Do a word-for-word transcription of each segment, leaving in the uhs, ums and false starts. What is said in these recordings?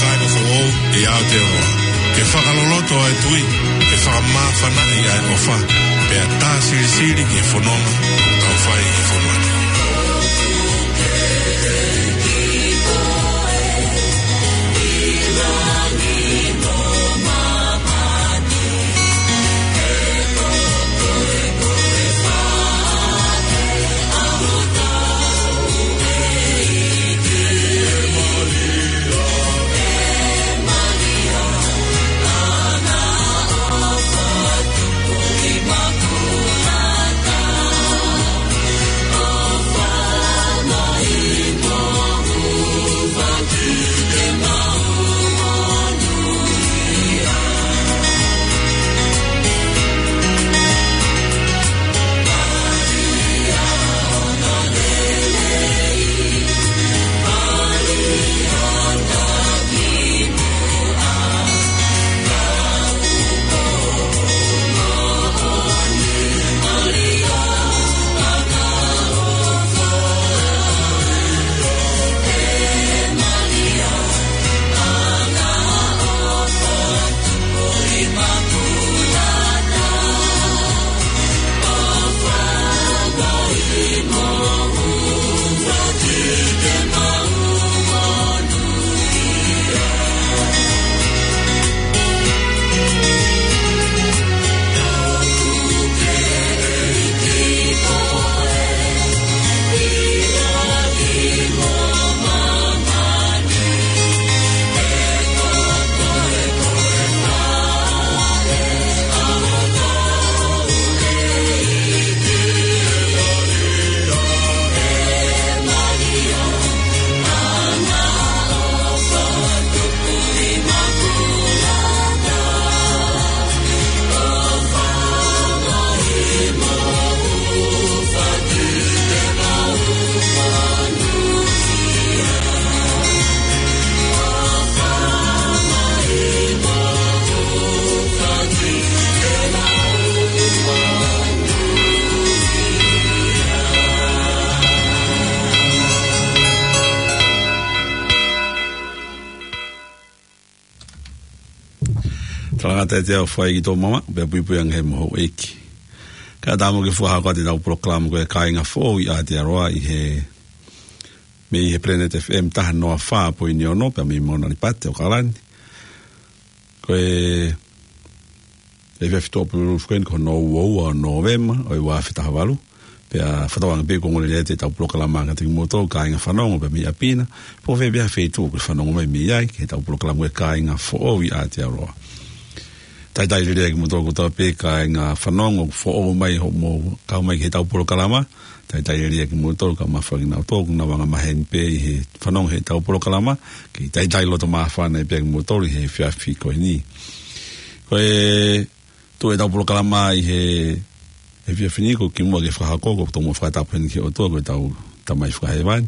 Kae ko foʻou ʻi Aotearoa, ke fakaloloto ʻa e tui, ke fakamāfanaʻi ʻa e ʻofa, pea tā silisili ki he fononga ʻoku tau fai ʻi he fonua ni. Talangata e te au fai ki tō mama, pea puipui ange he moho eki. Ka tā mo ke fuaha ko ʻetau polokalama ko e Kāinga Foʻou ʻi Aotearoa ʻi he, mei he Planet F M taha noa fā poini ono, pea mei Mauna Lipati ʻAokalani. Ko e, e efiafi Tuʻapulelulu foki eni ko hono ua ua ʻo Nōvema, ʻo e ua afe taha valu. Pea fakatauange pē ʻoku ongoongolelei atu ʻetau polokalama kiate kimoutolu, kāinga fanongo pē mei ʻapi na. Pe ko fē pē ha feituʻu ʻoku ke fanongo mai mei ai, ki heʻetau polokalama ko e Kāinga Foʻou ʻi Aotearoa. Talitali lelei kimoutolu kotoa pē kāinga fanongo foʻou mai hoʻomou kau mai ki heʻetau polokalama. Talitali lelei kimoutolu kae ʻumaʻā foki kinautolu ʻoku nau anga maheni pē ʻi he fanongo heʻetau polokalama. Ke talitali loto māfana pē kimoutolu ʻi he efiafi ko eni. Ko e tuʻu ʻetau polokalama ʻi he, he efiafi ni, ko e kimuʻa ke fakahoko, ko e tomuʻa fakatapu heni ki he ʻOtua, ko ʻetau Tamai Fakahēvani.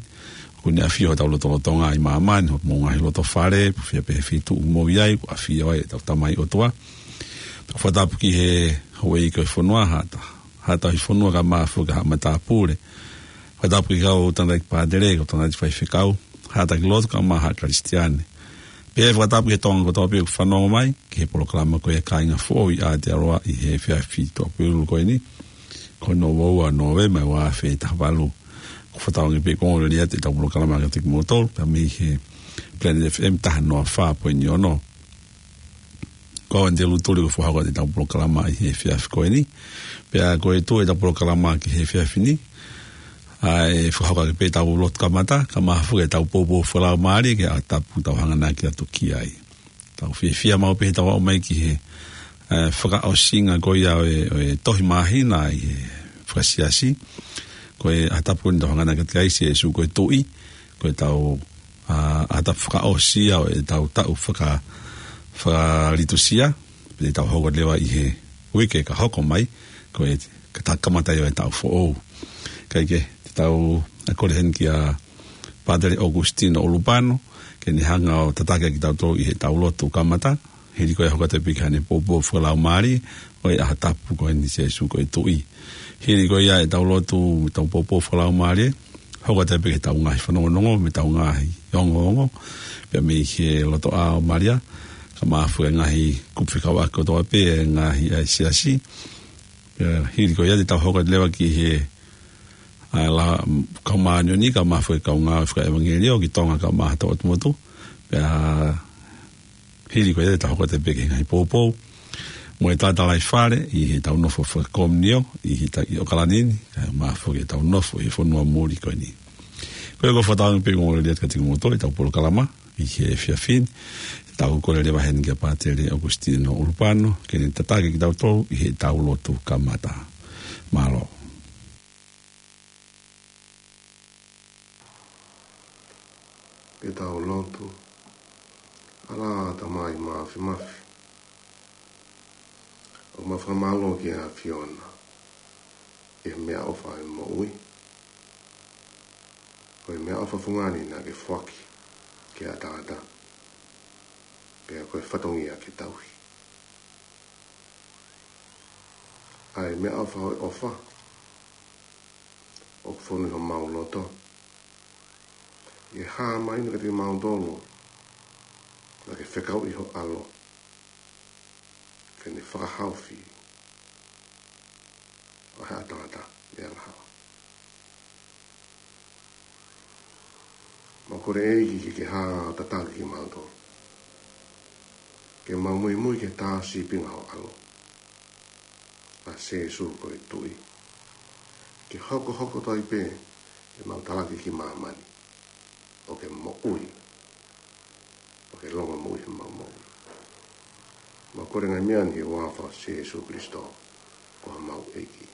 ʻOku ne ʻafio hotau lotolotonga ʻi māmani, homou ngaahi lotofale, pe ko fē pē ha feituʻu ʻoku mou ʻi ai, ʻoku ʻafio ai ʻetau Tamai ʻOtua. Pea fakatapu ki he houʻeiki ʻo e fonua, Haʻata, Haʻata ʻi he fonua kae ʻumaʻā foki Haʻa Matāpule. Fakatapu ki he kau tangataʻeiki pātele, kau tangataʻeiki faifekau, haʻa taki lotu kae ʻumaʻā haʻa Kalisitiane. Pea fakatapu ki he Tonga kotoa pē ʻoku fanongo mai ki he polokalama ko e Kāinga Foʻou ʻi Aotearoa ʻi he efiafi Tuʻapulelulu ko eni, ko hono ua ua ʻo Nōvema ʻo e ua afe taha valu. ʻOku fakatauange pē ʻoku ongoongolelei atu ʻetau polokalama kiate kimoutolu, pea mei he Planet F M taha noa fā poini ono. Ko au eni Telu Tuli ko e fuaha ko ʻetau polokalama ʻi he efiafi ko eni. Pea ko e tuʻu ʻetau polokalama ki he efiafi ni, ʻa e fakahoko ake pē ʻetau lotu kamata, kae ʻumaʻā foki ʻetau poupou fakalaumālie ki he ʻaho tapu ʻoku tau hanganaki atu ki ai. Tau fiefia maʻu pē heʻetau aʻu mai ki he, ē, fakaʻosinga ko ia ʻo e, ʻo e tohi māhina ʻi he fakasiasi. Ko e ʻaho tapu ko eni ʻoku tau hanganaki atu ki ai, Sīsū ko e Tuʻi, ko ʻetau, ā, ʻaho tapu fakaʻosi ia ʻo ʻetau taʻu faka-, fakalitusia, pea te tau hoko leva ʻi he uike ka hoko mai, ko e, ka ta kamata ia ʻo e taʻu foʻou. Kae kehe, te tau kole heni kia Pātele ʻOkusitino ʻUlupano, ke ne hanga ʻo tataki kitautolu ʻi heʻetau lotu kamata, hili ko ia ʻoku hoko atu pē ki haʻane poupou fakalaumālie, ʻo e ʻaho tapu ko eni Sīsū ko e Tuʻi. Hili ko ia ʻetau lotu, ʻetau poupou fakalaumālie, hoko atu pē ki heʻetau ngaahi fanongonongo, mo ʻetau ngaahi ongoongo, pea mei he lotoʻā ʻo Malia, kae ʻumaʻā foki e ngaahi kupu fekauʻaki kotoa pē, e ngaahi ʻa e siasi, pea hili ko ia te tau hoko atu leva ki he, ʻa e la, kau māʻoniʻoni, kae ʻumaʻā foki e kau ngāue fakaʻevangeliō, ki Tonga kae ʻumaʻā ʻa e ʻOtu Motu, pea hili ko ia te tau hoko atu pē ki he ngaahi poupou, mo e talatalaifale, ʻi heʻetau nofo fakakomiunio, ʻi he ta-, ʻi ʻAokalani ni, kae ʻumaʻā foki ʻetau nofo ʻi he fonua muli ko eni. Ko ia ʻoku ou fakatauange pē ʻoku ongoongolelei atu kiate kimoutolu ʻetau polokalama, ʻi he efiafi ni, te tau kole leva heni kia Pātele ʻOkusitino ʻUlupano, ke ne tataki kitautolu ʻi heʻetau lotu kamata. Mālō. Ke tau lotu. ʻAlā Tamai Māfimafi, ʻoku mau fakamālō ki he ʻAfiona, ʻi he meʻaʻofa ʻo e moʻui, ko e meʻaʻofa fungani naʻa ke foaki ki he ʻataʻatā, pea ko e fatongia ke tauhi. ʻA e meʻaʻofa ʻo e ʻofa, ʻoku fonu ʻi homau loto, ʻi he hā mai ʻeni kiate kimautolu, naʻa ke fekauʻi ho ʻAlo, ke ne fakahaofi ʻa e ʻataʻatā mei he angahala. Mau kole ʻEiki ke ke hā ʻo tataki kimautolu, ke mau muimui ki he tā sīpinga ho ʻAlo, ʻa Sēsū ko e Tuʻi, ke hokohoko atu ai pē ʻemau talaki ki māmani, ʻo ke moʻui, ʻo ke longomoʻui ʻi heʻemau moʻui. Mau kole e ngaahi meʻa ni ʻi he huafa ʻo Sēsū Kilisitō, ko homau ʻEiki.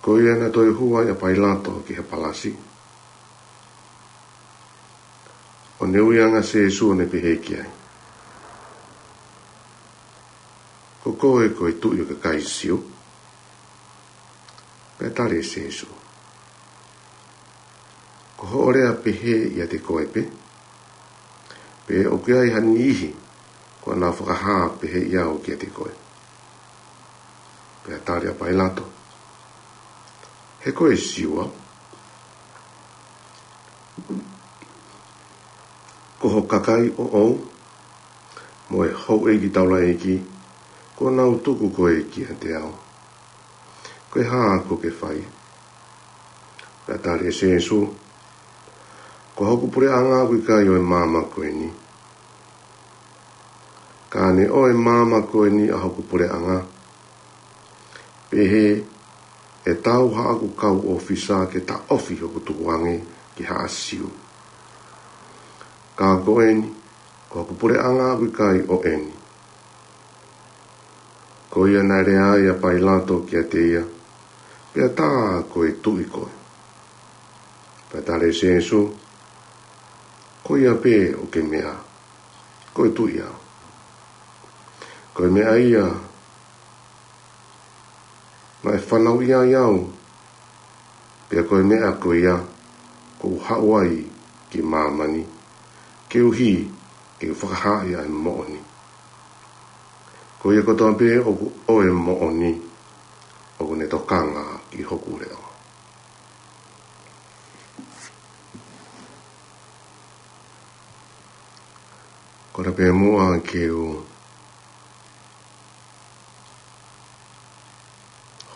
Ko ia naʻe toe hū ai ʻa Pailato ki he palasi, ʻo ne ui ange ʻa Sēsū ʻo ne pehē ki ai, "Ko koe ko e tuʻi ʻo e kakai Siu?" Pea tali ʻe Sēsū, "Ko hoʻo lea pehē ʻiate koe pē, pe ʻoku ʻi ai ha niʻihi kuo nau fakahā pehē ʻi au kiate koe?" Pea tali ʻa Pailato, "He ko e Siu au? Ko ho kakai ʻoʻou mo e houʻeiki taulaʻeiki kuo nau tuku koe kiate au. Ko e hā kuo ke fai?" Pea tali ʻe Sēsū, "Ko hoku puleʻanga ʻoku ʻikai ʻo e maama ko eni. Ka ne ʻo e maama ko eni ʻa hoku puleʻanga, pehē ʻe tau haʻaku kau ʻōfisa ke taʻofi hoku tukuange ki haʻa Siu. Ka ko eni, ko hoku puleʻanga ʻoku ʻikai ʻo eni." Ko ia naʻe lea ai ʻa Pailato kiate ia, "Pea tā ko e tuʻi koe?" Pea tali ʻe Sēsū, "Ko ia pē ʻoku ke meʻa, ko e tuʻi au. Ko e meʻa ia naʻe fanauʻi ai au, pea ko e meʻa ko ia kuo u haʻu ai ki māmani, koeʻuhi ke u fakahaaʻi ʻa e moʻoni. Ko ia kotoa pē ʻoku ʻo e moʻoni, ʻoku ne tokanga ki hoku leʻo." Ko ia pē muʻa ke u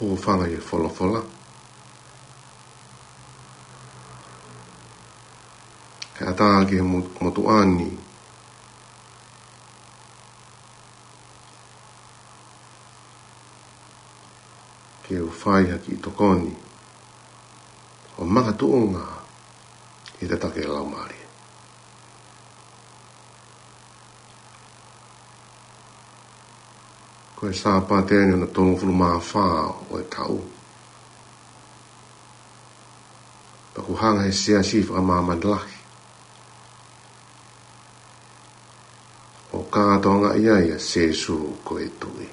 hūfanga he folofola. Kae ʻatā ki he mo-, motuʻa ni ke u fai ha kiʻi tokoni ʻo makatuʻunga ʻi he tataki ʻa e Laumālie. Ko e Sāpate ni hono tolungofulu mā fā ʻo e taʻu. Pea kuo hanga ʻe he Siasi Fakamāmani Lahi ʻo kātoangaʻi ai ʻa Sēsū ko e Tuʻi.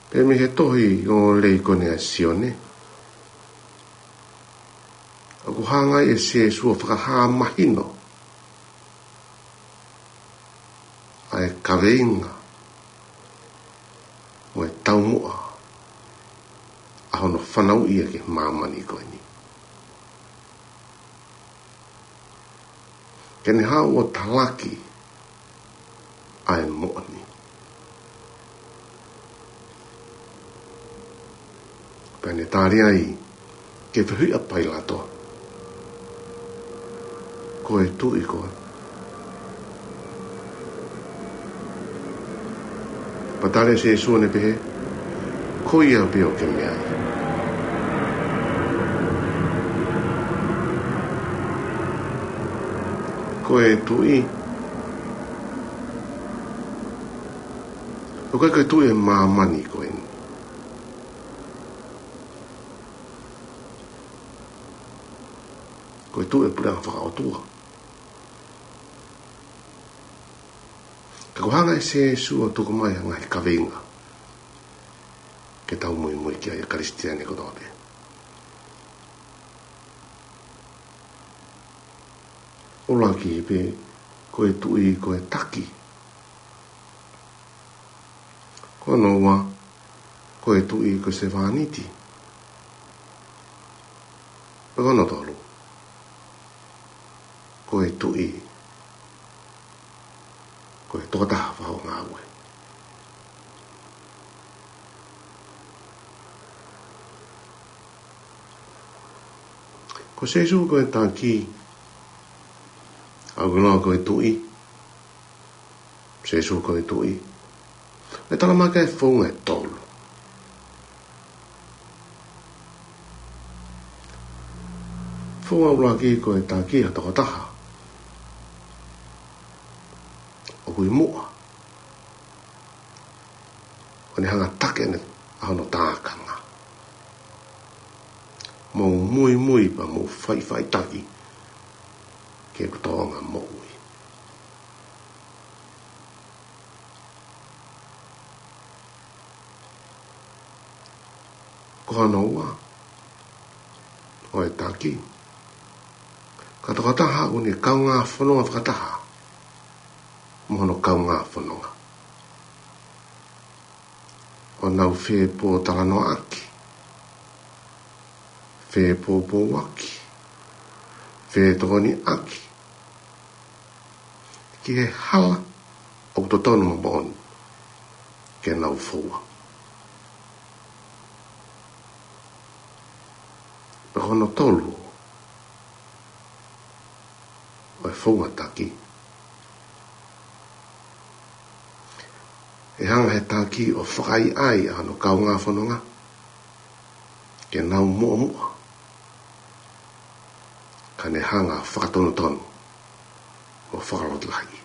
Pea mei he tohi ʻo e Leikone ʻa Sione, ʻoku hanga ai ʻe Sēsū ʻo fakahā mahino ʻa e kaveinga mo e taumuʻa ʻa hono fanauʻi ia ki māmani ko eni, ke ne haʻu ʻo talaki ʻa e moʻoni. Pea ne tali ai ke fehuʻi ʻa Pailato, "Ko e tuʻi koe?" Pea tali ʻe Sēsū ʻo ne pehē, "Ko ia pē ʻoku ke meʻa ai. Ko e tuʻi, ʻoku ʻikai ko e tuʻi ʻo e māmani ko eni. Ko e tuʻi ʻo e puleʻanga fakaʻotua." Ka kuo hanga ʻe Sēsū ʻo tuku mai ha ngaahi kaveinga ke tau muimui ki ai ʻa e Kalisitiane kotoa pē. ʻUluaki pē, ko e tuʻi ko e taki. Ko hono ua, ko e tuʻi ko e sevāniti. Pea ko hono tolu, ko e tuʻi ko e tokotaha fakaʻaongaue. Ko Sēsū ko e taki, ʻa ia ʻoku lau ko e tuʻi. Sēsū ko e tuʻi. ʻE tala mai ki ai e founga ʻe tolu. Founga ʻuluaki, ko e taki ha tokotaha ʻoku ʻi muʻa. ʻo ne hanga ʻo taki ʻene, ʻa hono tākanga. Mou muimui pea mou faʻifaʻitaki ki heʻeku tōʻonga moʻui. Ko hono ua ʻo e taki, ko e tokotaha ʻoku ne kaungā fononga fakataha mo hono kaungā fononga, ʻo nau fepōtalanoaʻaki, fepōpouaki, fetokoniʻaki ki he hala ʻoku totonu mo moʻoni ke nau foua. Pea ko hono tolu ʻo e founga taki, ʻe hanga ʻe he taki ʻo fakaʻaiʻai ʻa hono kaungā fononga ke nau muʻomuʻa, ka ne hanga ʻo fakatonutonu mo fakalotolahiʻi.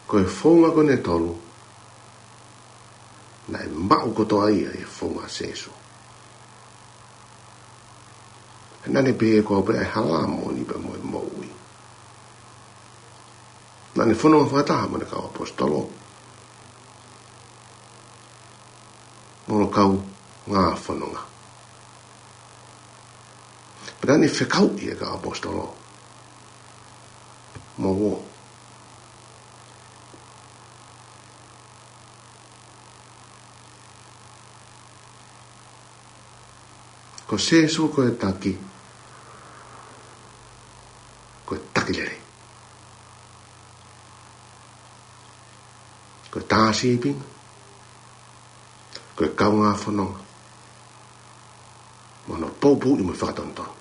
Ko e founga ko eni ʻe tolu, naʻe maʻu kotoa ia ʻi he founga ʻa Sēsū. He naʻa ne pehē ko au pē ʻa e hala, moʻoni pea mo e moʻui. Naʻa ne fononga fakataha mo ʻene kau ʻaposetolo mo hono kaungā fononga. Pea naʻa ne fekauʻi ʻa e kau ʻaposetolo mo au. Ko Sēsū ko e taki, ko e taki lelei, ko e tā sīpinga, ko e kaungā fononga, mo hono poupouʻi mo e fakatonutonu.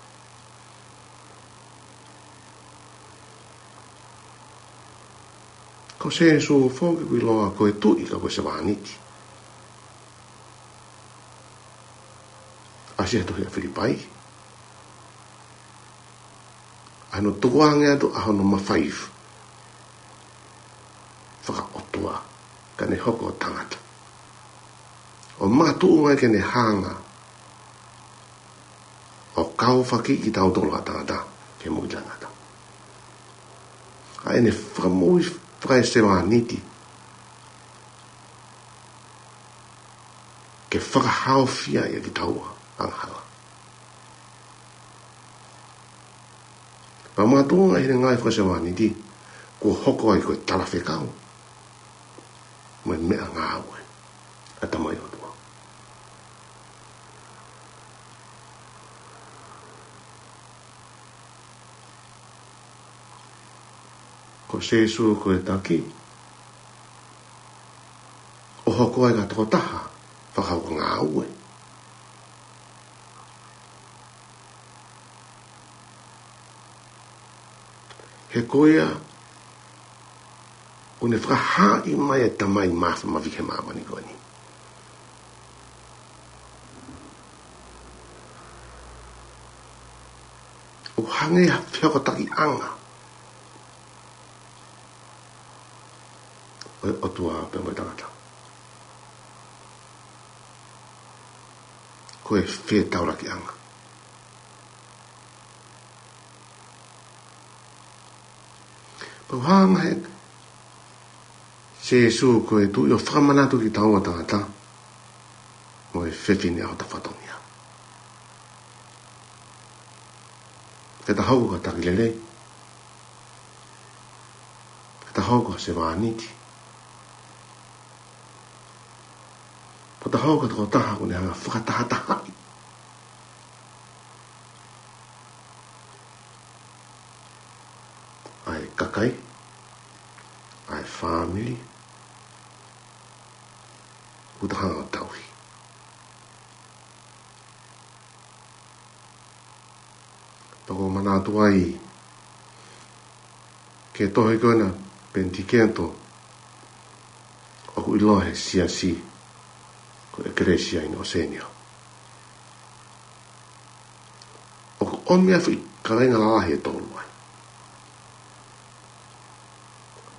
Ko Sēsū foki ʻoku ʻiloa ko e tuʻi ka ko e sevāniti. ʻAsi he tohi ʻa Filipai, ʻa hono tukuange atu ʻa hono mafai fakaʻotua ka ne hoko ʻo tangata, ʻo makatuʻunga ke ne hanga ʻo kaufakiʻi kitautolu ʻa e tangata ke moʻui taʻengata. ʻA ʻene fakamoʻui fakaesevāniti ke fakahaofia ʻa kitaua angahala. Pea makatuʻunga ʻi heʻene ngāue fakasevāniti, kuo hoko ai ko e talafekau mo e meʻangāue ʻa e Tamai ʻOtua. Ko Sēsū ko e taki, ʻo hoko ai ko e tokotaha fakakaukauʻanga ngāue. He ko ia ʻoku ne fakahaaʻi mai ʻa e Tamai Māfimafi ki he māmani ko eni. ʻOku hangē ha fehokotakiʻanga ʻo e ʻOtua pea mo e tangata. Ko e fetaulakiʻanga. Pea ʻoku hanga ʻe Sēsū ko e tuʻi ʻo fakamanatu kitaua tangata mo e fefine ʻa hota fatongia. Ke ta hoko ko e taki lelei, ke ta hoko ko e sevāniti, ke ta hoko ko e tokotaha ʻoku ne hanga ʻo fakatahatahaʻi ʻa e kakai, ʻa e fāmili ʻoku ta hanga ʻo tauhi. Pea ʻoku ou manatu ai ki he tohi ko ena Penitiketo, ʻoku ʻiloa he siasi ko e ʻEkelesia ʻi ʻOsēnia. ʻOku ʻomi ʻa e foʻi kaveinga lalahi ʻe tolu ai.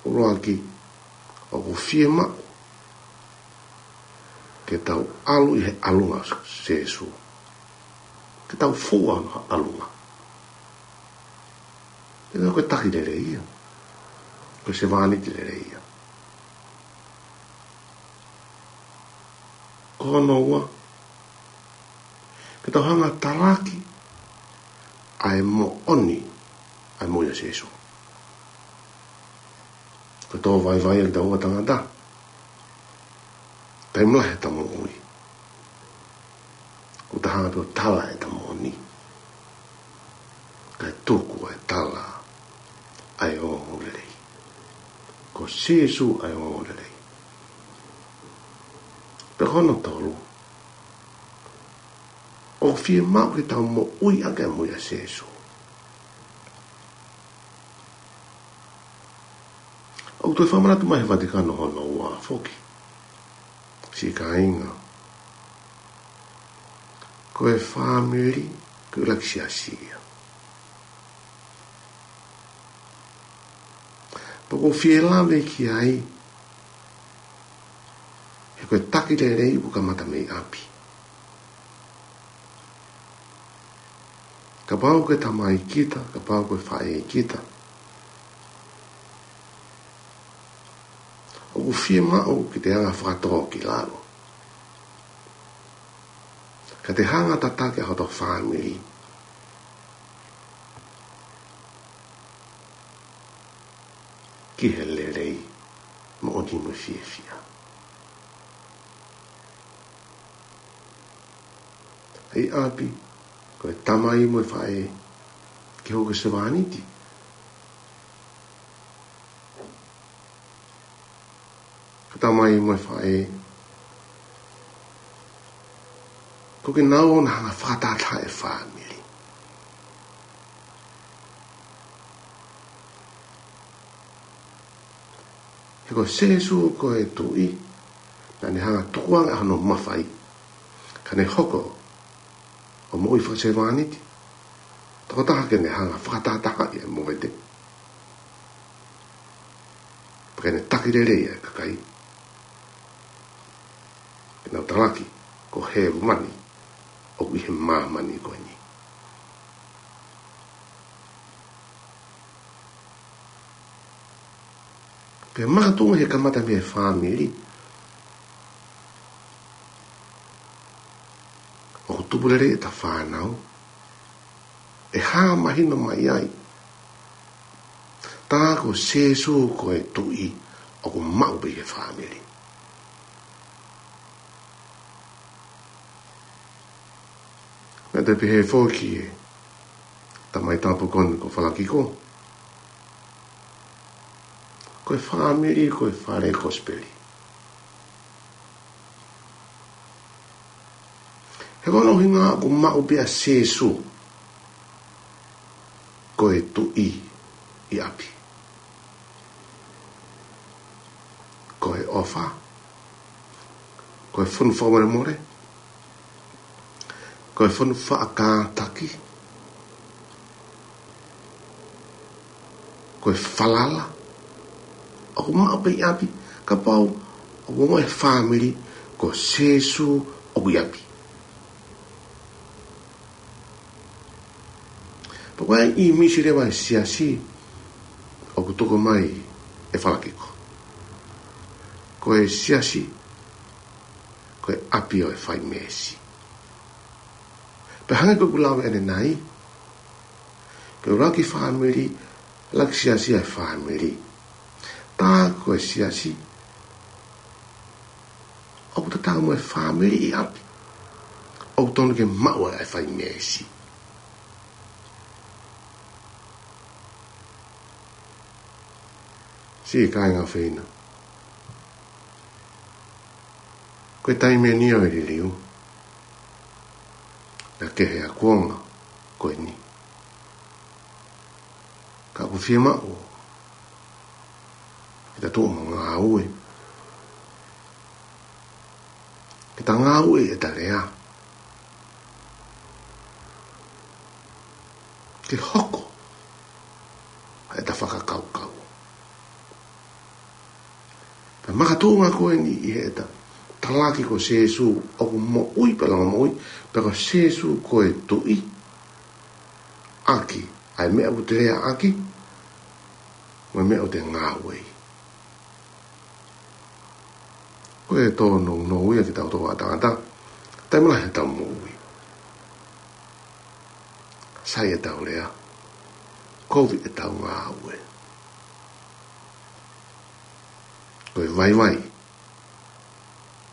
ʻUluaki, ʻOku fiemaʻu ke tau ʻalu ʻi he ʻalunga ʻo Sēsū. Ke tau fua ʻi he ʻalunga. He ko e taki lelei ia. Ko e sevāniti lelei ia. Ko hono ua, ke tau hanga ʻo talaki ʻa e moʻoni, ʻa e moʻui ʻa Sēsū. Ko e tō vaivai ʻa kitaua tangata. Taimi lahi ʻeta moʻui, ʻoku ta hanga pē ʻo tala ʻeta moʻoni, kae tuku ʻa e tala ʻa e ongoongolelei. Ko Sēsū ʻa e ongoongolelei. Pea ko hono tolu, ʻoku fiemaʻu ke tau moʻui ʻaki ʻa e moʻui ʻa Sēsū. ʻOku toe fakamanatu mai ʻe he Vatikano hono ua foki, siʻi kāinga, ko e fāmili ko e ʻuluaki siasi ia. Pea ʻoku ou fie lave ki ai, he ko e taki lelei ʻoku kamata mei ʻapi. Kapau ko e tamai kita, kapau ko e faʻē kita, ʻoku fiemaʻu ke te hanga ʻo fakatō ki lalo, ka te hanga ʻo tataki ʻa hoto fāmili ki he lelei, moʻoni mo e fiefia. ʻI ʻapi, ko e tamai mo e faʻē, ke hoko ko e sevāniti. Ko e tamai mo e faʻē, ko kinaua ʻoku na hanga ʻo fakatātā e fāmili. He ko Sēsū ko e Tuʻi, naʻa ne hanga ʻo tukuange ʻa hono mafai, ka ne hoko ʻo moʻui fakasevāniti, tokotaha ke ne hanga ʻo fakatātā ʻa e moʻui, pea ke ne taki lelei ʻa e kakai, ke nau talaki ko hēvani ʻoku ʻi he māmani ko eni. Pea makatuʻunga he kamata mei he fāmili, ʻoku tupu lelei ʻeta fānau, ʻe hā mahino mai ai, tā ko Sēsū ko e Tuʻi, ʻoku maʻu pē ʻi he fāmili. Naʻa te pehē foki ʻe he tamai tapu ko eni ko Falakiko, ko e fāmili ko e fale kosipeli. He ko hono ʻuhinga ʻoku maʻu pē ʻa Sēsū ko e Tuʻi ʻi ʻapi. Ko e ʻofa, ko e fonu fakamolemole, ko e fonu faʻa kātaki, ko e falala, ʻoku maʻu pē ʻi ʻapi, kapau ʻoku ongoʻi ʻe he fāmili ko Sēsū ʻoku ʻi ʻapi. Pea ko e ʻīmisi leva ʻo e siasi ʻoku tuku mai ʻe Falakiko, ko e siasi ko e ʻapi ʻo e faimeesi. Pea hangē ko ʻeku lave ʻanenai, ko e ʻuluaki fāmili, ʻuluaki siasi ʻa e fāmili. Tā ko e siasi, ʻoku tatau mo e fāmili ʻi ʻapi, ʻoku totonu ke maʻu ʻa e faimeesi. Siʻi kāinga ʻofeina, ko e taimi eni ʻo e liliu, naʻa ke he ʻa e kuonga ko eni. Ka ʻoku fiemaʻu ke ta tuʻu mo ngāue, ke ta ngāue ʻeta lea, ke hoko ʻeta fakakaukau. Makatuʻunga ko eni ʻi heʻeta talaki ko Sēsū ʻoku moʻui pea langa moʻui, pea ko Sēsū ko e Tuʻi, ʻaki ʻa e meʻa ʻoku te lea ʻaki, mo e meʻa ʻoku te ngāueʻi. Ko e tōnounou ia kitautolu ʻa tangata, taimi lahi heʻetau moʻui. Sai ʻetau lea, kovi ʻetau ngāue. Ko e vaivai,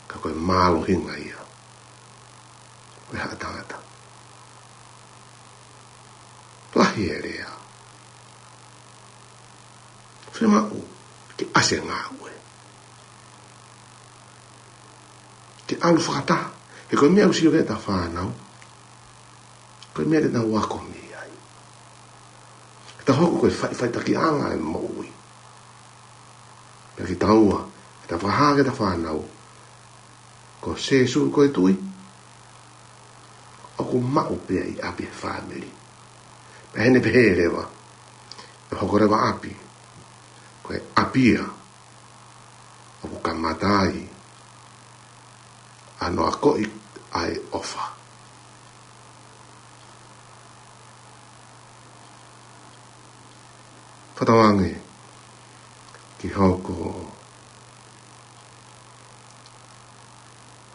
ka ko e mālohinga ia ʻo e haʻa tangata. Lahi e lea. Fiemaʻu ke ʻasi e ngāue. Ke ʻalu fakataha. He ko e meʻa ʻoku sio ki ai ʻeta fānau, ko e meʻa te nau ako mei ai. Ke ta hoko ko e faʻifaʻitakiʻanga e moʻui. Pea kitaua, ke ta fakahā ki heʻeta fānau, ko Sēsū ko e Tuʻi, ʻoku maʻu pē ia ʻi ʻapi he fāmili. Pea ʻi heʻene pehē leva, ʻe hoko leva ʻapi ko e ʻapi ia ʻoku kamata ai ʻa hono akoʻi ʻa e ʻofa. Fakatauange ke hoko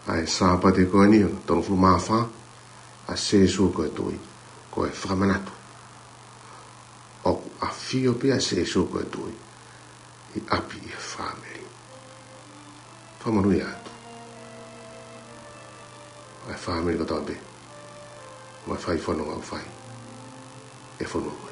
ʻa e Sāpate ko eni ʻo e tolungofulu mā fā ʻa Sēsū ko e Tuʻi, ko e fakamanatu ʻoku ʻafio pē ʻa Sēsū ko e Tuʻi ʻi ʻapi ʻi he fāmili. Fakamonūʻia atu ʻa e fāmili kotoa pē, mo e fai fononga ʻoku fai ʻe he fonua ko eni.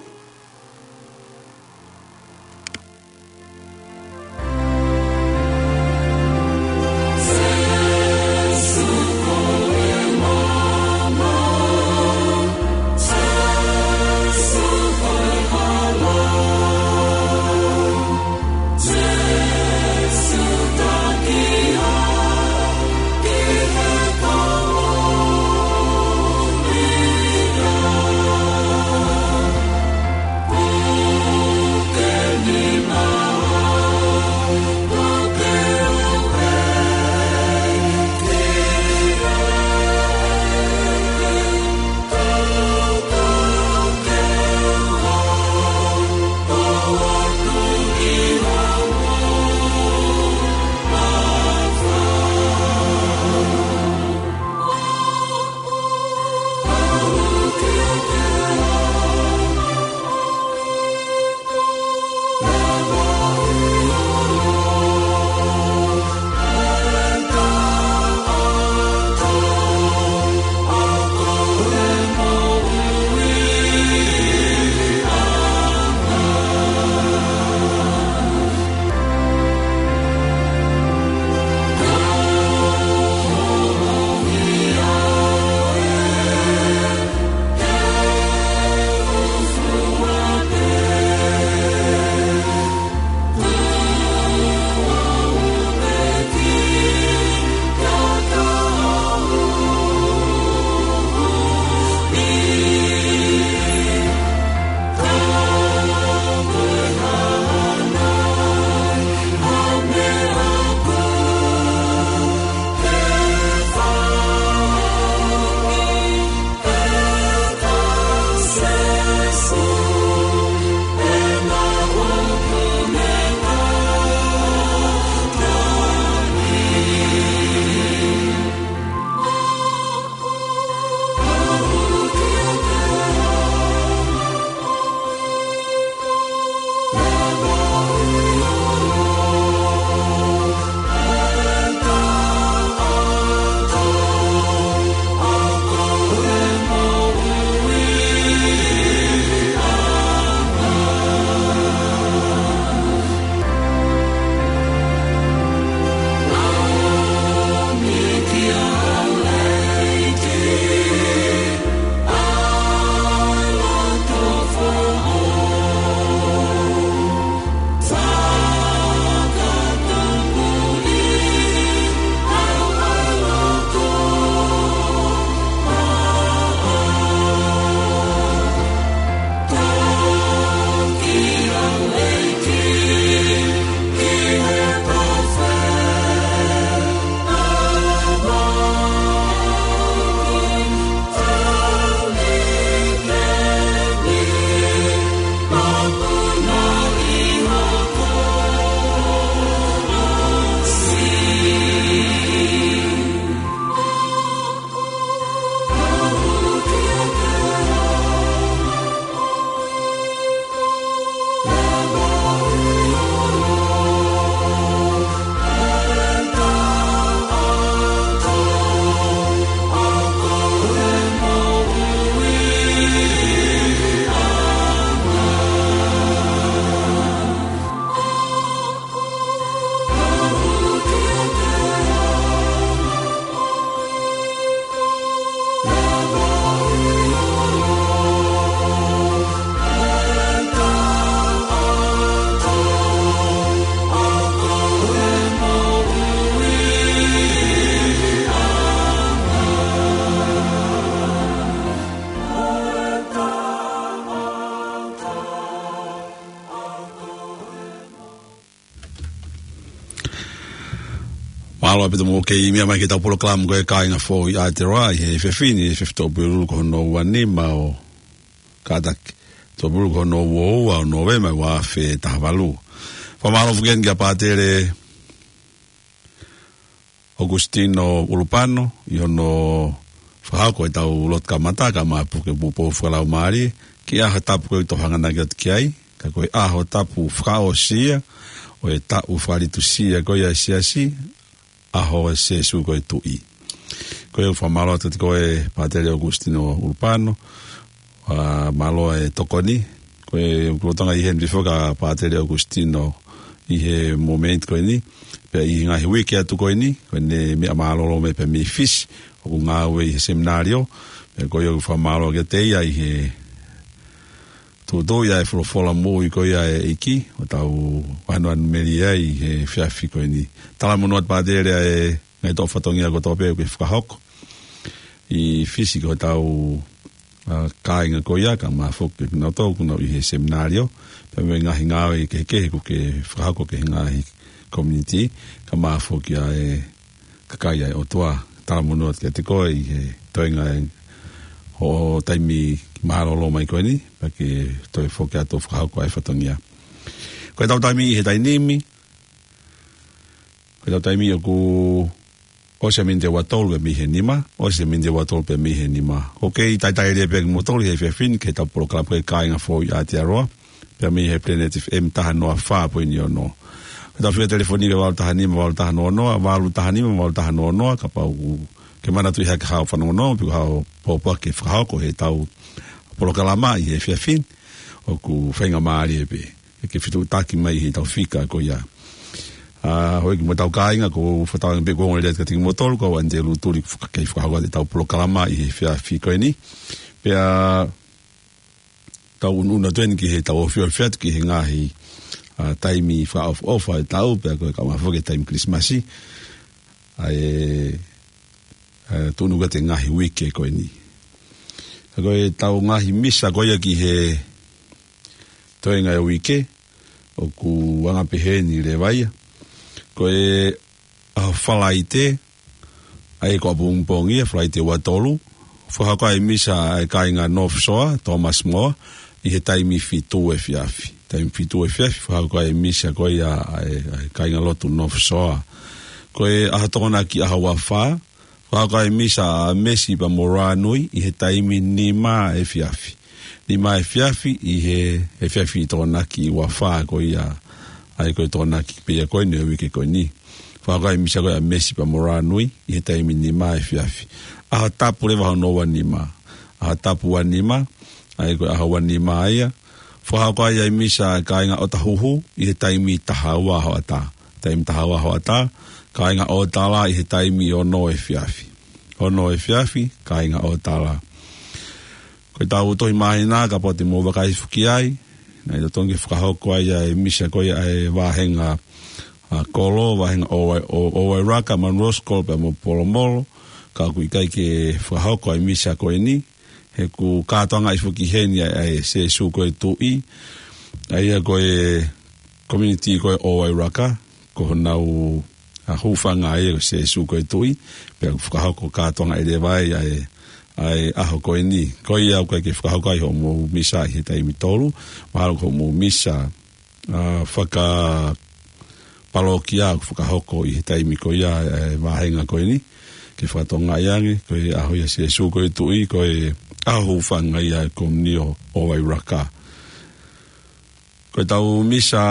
ʻAlo ʻaupito mo kei meʻa mai ki heʻetau polokalama ko e Kāinga Foʻou ʻi Aotearoa, ʻi he efiafi ni, efiafi Tuʻapulelulu ko hono uanima ʻo kātaki, Tuʻapulelulu ko hono uaua ʻo Nōvema ua afe taha valu. Fakamālō foki eni kia Pātele ʻOkusitino ʻUlupano, ʻi hono fakahoko ʻetau lotu kamata, kae ʻumaʻā pē ke pupou fakalaumālie, ki he ʻaho tapu ko ē ʻoku tau hanganaki atu ki ai, ka ko e ʻaho tapu fakaʻosi ia ʻo e taʻu fakalitusia ko ia ʻa e Siasi, ʻaho ʻo Sēsū ko e Tuʻi. Ko ia ʻoku fakamālō atu kiate koe Pātele ʻOkusitino ʻUlupano, ʻa, mālō e tokoni. Ko e ʻoku ou tokanga ʻi heni pē foki kia Pātele ʻOkusitino ʻi he momeniti ko eni, pea ʻi he ngaahi uike atu ko eni, ko ʻene meʻa mālōlō mai pē mei Fisi, ʻoku ngāue ʻi he seminalio, pea ko ia ʻoku fakamālō kiate ia ʻi he tuʻutuʻuni ʻa e folofola moʻui ko ia ʻa e ʻEiki, ʻoku tau ʻanuʻanumelie ai ʻi he efiafi ko eni. Talamonū atu Pātele ʻa e ngaahi toʻu fatongia kotoa pē ʻoku ke fakahoko ʻi Fisi ki hotau, ʻa, kāinga ko ia, kae ʻumaʻā foki kinautolu ʻoku nau ʻi he seminalio, pea mo e ngaahi ngāue kehekehe ʻoku ke fakahoko ki he ngaahi community, kae ʻumaʻā foki ʻa e kakai ʻa e ʻOtua. Talamonū atu kiate koe ʻi he toenga ʻa hoʻo taimi mālōlō mai ko eni, pea ke toe foki atu ʻo fakahoko ʻa e fatongia. Ko ʻetau taimi ʻi he taimi ni, ko ʻetau taimi ʻoku ʻosi e miniti ʻe ua tolu pē mei he nima, ʻosi e miniti ʻe ua tolu pē mei he nima. ʻOku kei talitali lelei pē kimoutolu ʻi he efiafi ni ki heʻetau polokalama ko e Kāinga Foʻou ʻi Aotearoa, pea mei he Planet F M taha noa fā poini ono. Ko ʻetau fika telefoni ko e valu taha nima, valu taha noa noa, valu taha nima, valu taha noa noa, kapau ʻoku ke manatuʻi hake haʻo fanongonongo, pe ko haʻo pōpoaki ke fakahoko heʻetau polokalama ʻi he efiafi ni, ʻoku faingamālie pē ke ke fetuʻutaki mai heʻetau fika ko ia. ʻA, houʻeiki mo hotau kāinga, ʻoku fakatauange pē ʻoku ongo lelei atu kiate kimoutolu, ko au ʻAnitelū Tuli, ke faka-, ke fakahoko atu ʻetau polokalama ʻi he efiafi ko eni. Pea tau ʻunuʻunu atu eni ki heʻetau ofiofi atu ki he ngaahi, ʻa, taimi fakaʻofoʻofa ʻo e taʻu, pea ko e kae ʻumaʻā foki e taimi Kilisimasi. ʻA e, ʻa e tuʻunuku atu e ngaahi uike ko eni. Ka ko ʻetau ngaahi misa ko ia ki he toenga e uike, ʻoku anga peheni leva ia. Ko e ʻaho Falaite, ʻa ia ko ʻapongipongi ia, Falaite ua tolu, fakahoko ai e misa ʻa e kāinga North Shore, Thomas More, ʻi he taimi fitu efiafi. Taimi fitu efiafi, fakahoko ai e misa ko ia ʻa e, ʻa e kāinga lotu North Shore. Ko e ʻaho Tokonaki, ʻaho ua fā, fakahoko ai e misa ʻa Mesi pea mo Rānui ʻi he taimi nima efiafi. Nima efiafi ʻi he, he efiafi Tokonaki ua fā ko ia, ʻa ia ko e Tokonaki pē ia ko eni ʻo e uike ko eni. Fakahoko ai e misa ko ia ʻa Mesi pea mo Rānui ʻi he taimi nima efiafi. ʻAho Tapu leva hono uanima. ʻAho Tapu uanima, ʻa ia ko e ʻaho uanima ia. Fakahoko ai e misa ʻa e kāinga ʻOtahuhu ʻi he taimi taha ua hoʻatā. Taimi taha ua hoʻatā, kāinga ʻOtala ʻi he taimi ono efiafi. Ono efiafi, kāinga ʻOtala. Ko ʻetau tohi māhina, kapau te mou vakai hifo ki ai, naʻe totonu ke fakahoko ai ʻa e misa ko ia ʻa e vāhenga, ʻa, kolo, vāhenga ʻo, ʻo, ʻo Wairaka, Munro School pea mo Polomolo, ka ʻoku ʻikai ke fakahoko ʻa e misa ko eni, he ʻoku kātoangaʻi foki heni ʻa e, ʻa e Sēsū ko e Tuʻi, ʻa ia ko e community ko ē ʻo Wairaka, ko honau, ʻa, hūfanga ia ko Sēsū ko e Tuʻi, pea ʻoku fakahoko kātoangaʻi leva ai ʻa e, ʻa e ʻaho ko eni. Ko ia ʻoku ʻikai ke fakahoko ai hoʻomou misa ʻi he taimi tolu, mahalo ko hoʻomou misa, ʻa, fakapalokia ʻoku fakahoko ʻi he taimi ko ia ʻa e vāhenga ko eni, ke fakatokangaʻi ange, ko e ʻaho ia ʻo Sēsū ko e Tuʻi, ko e ʻaho hūfanga ia ʻa e komiunitī ʻo Wairaka. Ko ʻetau misa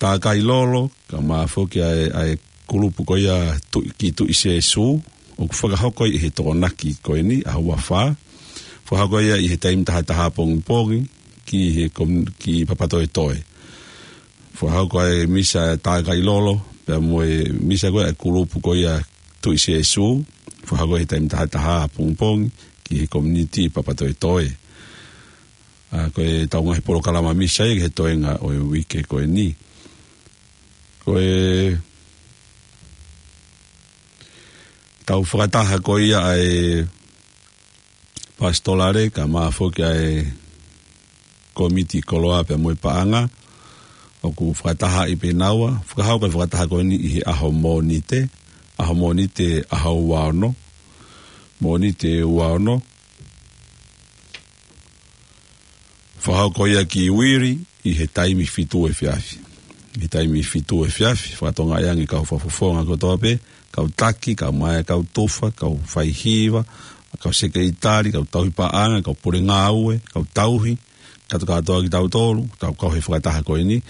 tākai lolo, kae ʻumaʻā foki ʻa e, ʻa e kulupu ko ia Tuʻi, ki Tuʻi Sēsū, ʻoku fakahoko ʻi he Tokonaki ko eni, ʻaho ua fā. Fakahoko ia ʻi he taimi taha taha pongipongi, ki he kom-, ki Papatoetoe. Fakahoko ʻa e misa tākai lolo, pea mo e misa ko ē ʻa e kulupu ko ia Tuʻi Sēsū, fakahoko ʻi he taimi taha taha pongipongi, ki he komiunitī Papatoetoe. ʻA, ko ʻetau ngaahi polokalama misa ia ki he toenga ʻo e uike ko eni. Ko ʻetau fakataha ko ia ʻa e pasitolale, kae ʻumaʻā foki ʻa e kōmiti koloa pea mo e paʻanga, ʻoku fakatahaʻi pē naua, fakahoko e fakataha ko eni ʻi he ʻaho Mōnite, ʻaho Mōnite ʻaho ua ono, Mōnite ua ono. Fakahoko ia ki uili ʻi he taimi fitu efiafi. ʻI he taimi fitu efiafi, fakatokangaʻi ange kau fakafofonga kotoa pē, kau taki, kau mai, kau tufa, kau faihiva, kau sekelitali, kau tauhi paʻanga, kau pule ngāue, kau tauhi, kātoa kātoa kitautolu, tau kau he fakataha ko eni.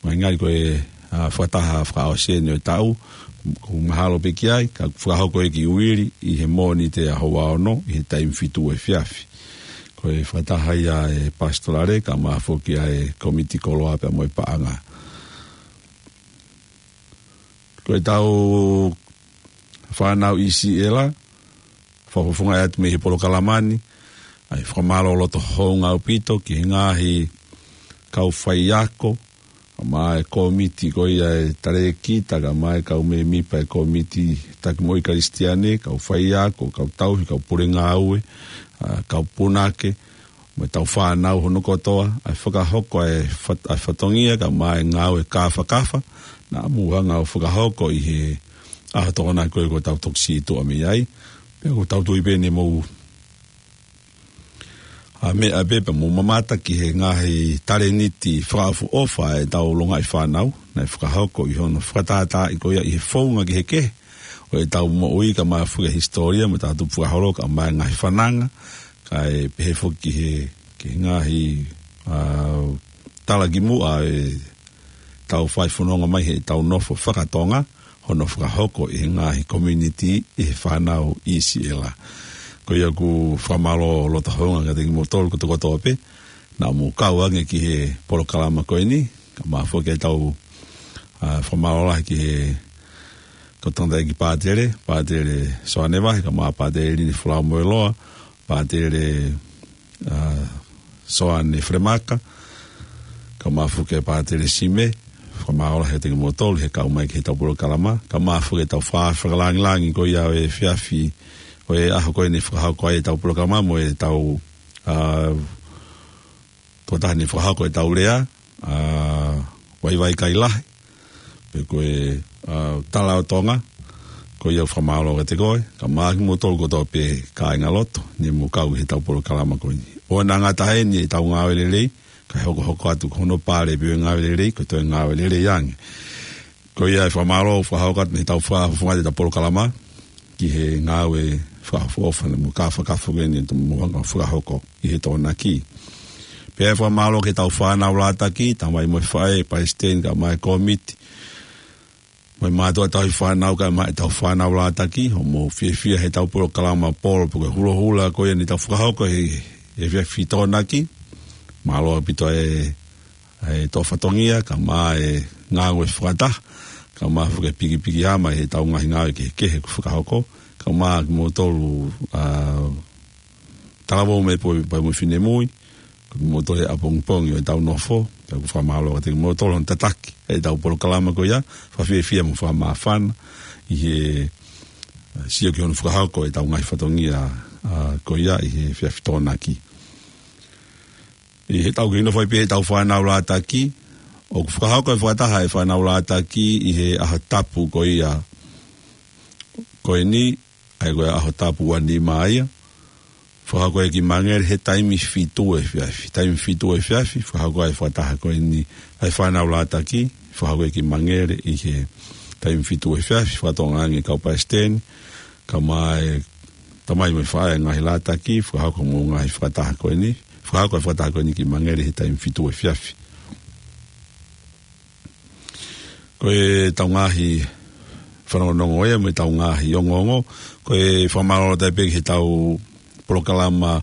Mai ngali ko e, ʻa, fakataha fakaʻosi eni ʻo e taʻu, ʻoku mahalo pē ki ai, ka fakahoko ia ki uili ʻi he Mōnite ʻaho ua ono, ʻi he taimi fitu efiafi. Ko e fakataha ia ʻa e pasitolale, kae ʻumaʻā foki ʻa e kōmiti koloa pea mo e paʻanga. Ko e tau fānau ʻi Siela, fakafofongaʻi atu mei he polokalama ni, ʻa e fakamālō loto hounga ʻaupito ki he ngaahi kau faiako, kae ʻumaʻā e kōmiti ko ia ʻa e talēkita, kae ʻumaʻā e kau mēmipa ʻa e kōmiti taki moʻui Kalisitiane, kau faiako, kau tauhi, kau pule ngāue, ʻa, kau punake, mo e tau fānau hono kotoa, ʻa e fakahoko ʻa e fat-, ʻa e fatongia, kae ʻumaʻā e ngāue kāfakafa, naʻa mou hanga ʻo fakahoko ʻi he ʻaho Tokonaki ko ē kuo tau toki sītuʻa mei ai. Pea ʻoku tau tui pē ne mou, ʻa, meʻa pē pea mou mamata ki he ngaahi talēniti fakaʻofoʻofa ʻa e tau longaʻi fānau, naʻe fakahoko ʻi hono fakatātaaʻi ko ia ʻi he founga kehekehe ʻo e tau moʻui, kae ʻumaʻā foki e hisitōlia mo e tau tupu fakaholo, kae ʻumaʻā e ngaahi fananga, kae pehē foki ki he, ki he ngaahi, ʻa, talakimuʻa ʻa e tau fai fononga mai he tau nofo fakatonga, hono fakahoko ʻi he ngaahi community ʻi he fānau ʻi Siela. Ko ia ʻoku fakamālō loto hounga kiate kimoutolu kotoa kotoa pē, naʻa mou kau ange ki he polokalama ko eni, kae ʻumaʻā foki e tau, ʻa, fakamālō lahi ki he kau tangataʻeiki pātele, Pātele Soane Vahe, kae ʻumaʻā Pātele Lini Folau Moeloa, Pātele, ʻa, Soane Fremaka, kae ʻumaʻā foki e Pātele Sime, fakamālō lahi kiate kimoutolu he kau mai ki he tau polokalama, kae ʻumaʻā foki e tau fa-, fakalāngilangi ko ia ʻo e efiafi, ʻo e ʻaho ko eni fakahoko ai e tau polokalama, mo e tau, ʻa, tokotaha ne fakahoko e tau lea, ʻa, Vaivai Kailahi, pe ko e, ʻa, Tala ʻo Tonga, ko ia ʻoku fakamālō kiate koe, kae ʻumaʻā kimoutolu kotoa pē kāingalotu, ne mou kau he tau polokalama ko eni. ʻOua naʻa ngata heni e tau ngāue lelei, kae hokohoko atu ko hono pale pē ʻo e ngāue lelei, ko e toe ngāue lelei ange. Ko ia e fakamālō, fakahoko atu mei he tau fakafofonga ʻa e tau polokalama, ki he ngāue fakaʻofoʻofa mo kāfakafa ko eni ʻoku mou hanga ʻo fakahoko ʻi he Tokonaki. Pea fakamālō ki he tau fānau lātaki, tamai mo e faʻē, palesiteni kae ʻumaʻā e kōmiti, mo e mātuʻa tauhi fānau kae ʻumaʻā e tau fānau lātaki, hoʻomou fiefia he tau polokalama polo pe ko e hulohula ko ia ne tau fakahoko he, he efiafi Tokonaki. Mālō ʻaupito e, e tō fatongia, kae ʻumaʻā e ngāue fakataha, kae ʻumaʻā foki e pikipiki hama he tau ngaahi ngāue kehekehe kuo fakahoko, kae ʻumaʻā kimoutolu, ʻa, talavou mo e poʻi, pea mo e finemui, ko kimoutolu he ʻapongipongi ʻo e tau nofo, pea ʻoku fakamālō kiate kimoutolu hono tataki e tau polokalama ko ia, fakafiefia mo fakamāfana, ʻi he, ʻa, sio ki hono fakahoko e tau ngaahi fatongia, ʻa, ko ia ʻi he efiafi Tokonaki. ʻI he tau kei nofo ai pē he tau fānau lātaki, ʻoku fakahoko e fakataha e fānau lātaki ʻi he ʻaho tapu ko ia ko eni, ʻa ia ko e ʻaho tapu ua nima ia, fakahoko ia ki Mangere he taimi fitu efiafi, taimi fitu efiafi, fakahoko e fakataha ko eni ʻa e fānau lātaki, fakahoko ia ki Mangere ʻi he taimi fitu efiafi, fakatokangaʻi ange kau palesiteni, kae ʻumaʻā e tamai mo e faʻē ngaahi lātaki, fakahoko mo e ngaahi fakataha ko eni, fakahoko e fakataha ko eni ki Mangere he taimi fitu efiafi. Ko e tau ngaahi fanongonongo ia, mo e tau ngaahi ongoongo, ko e fakamālō atu pē ki he tau polokalama,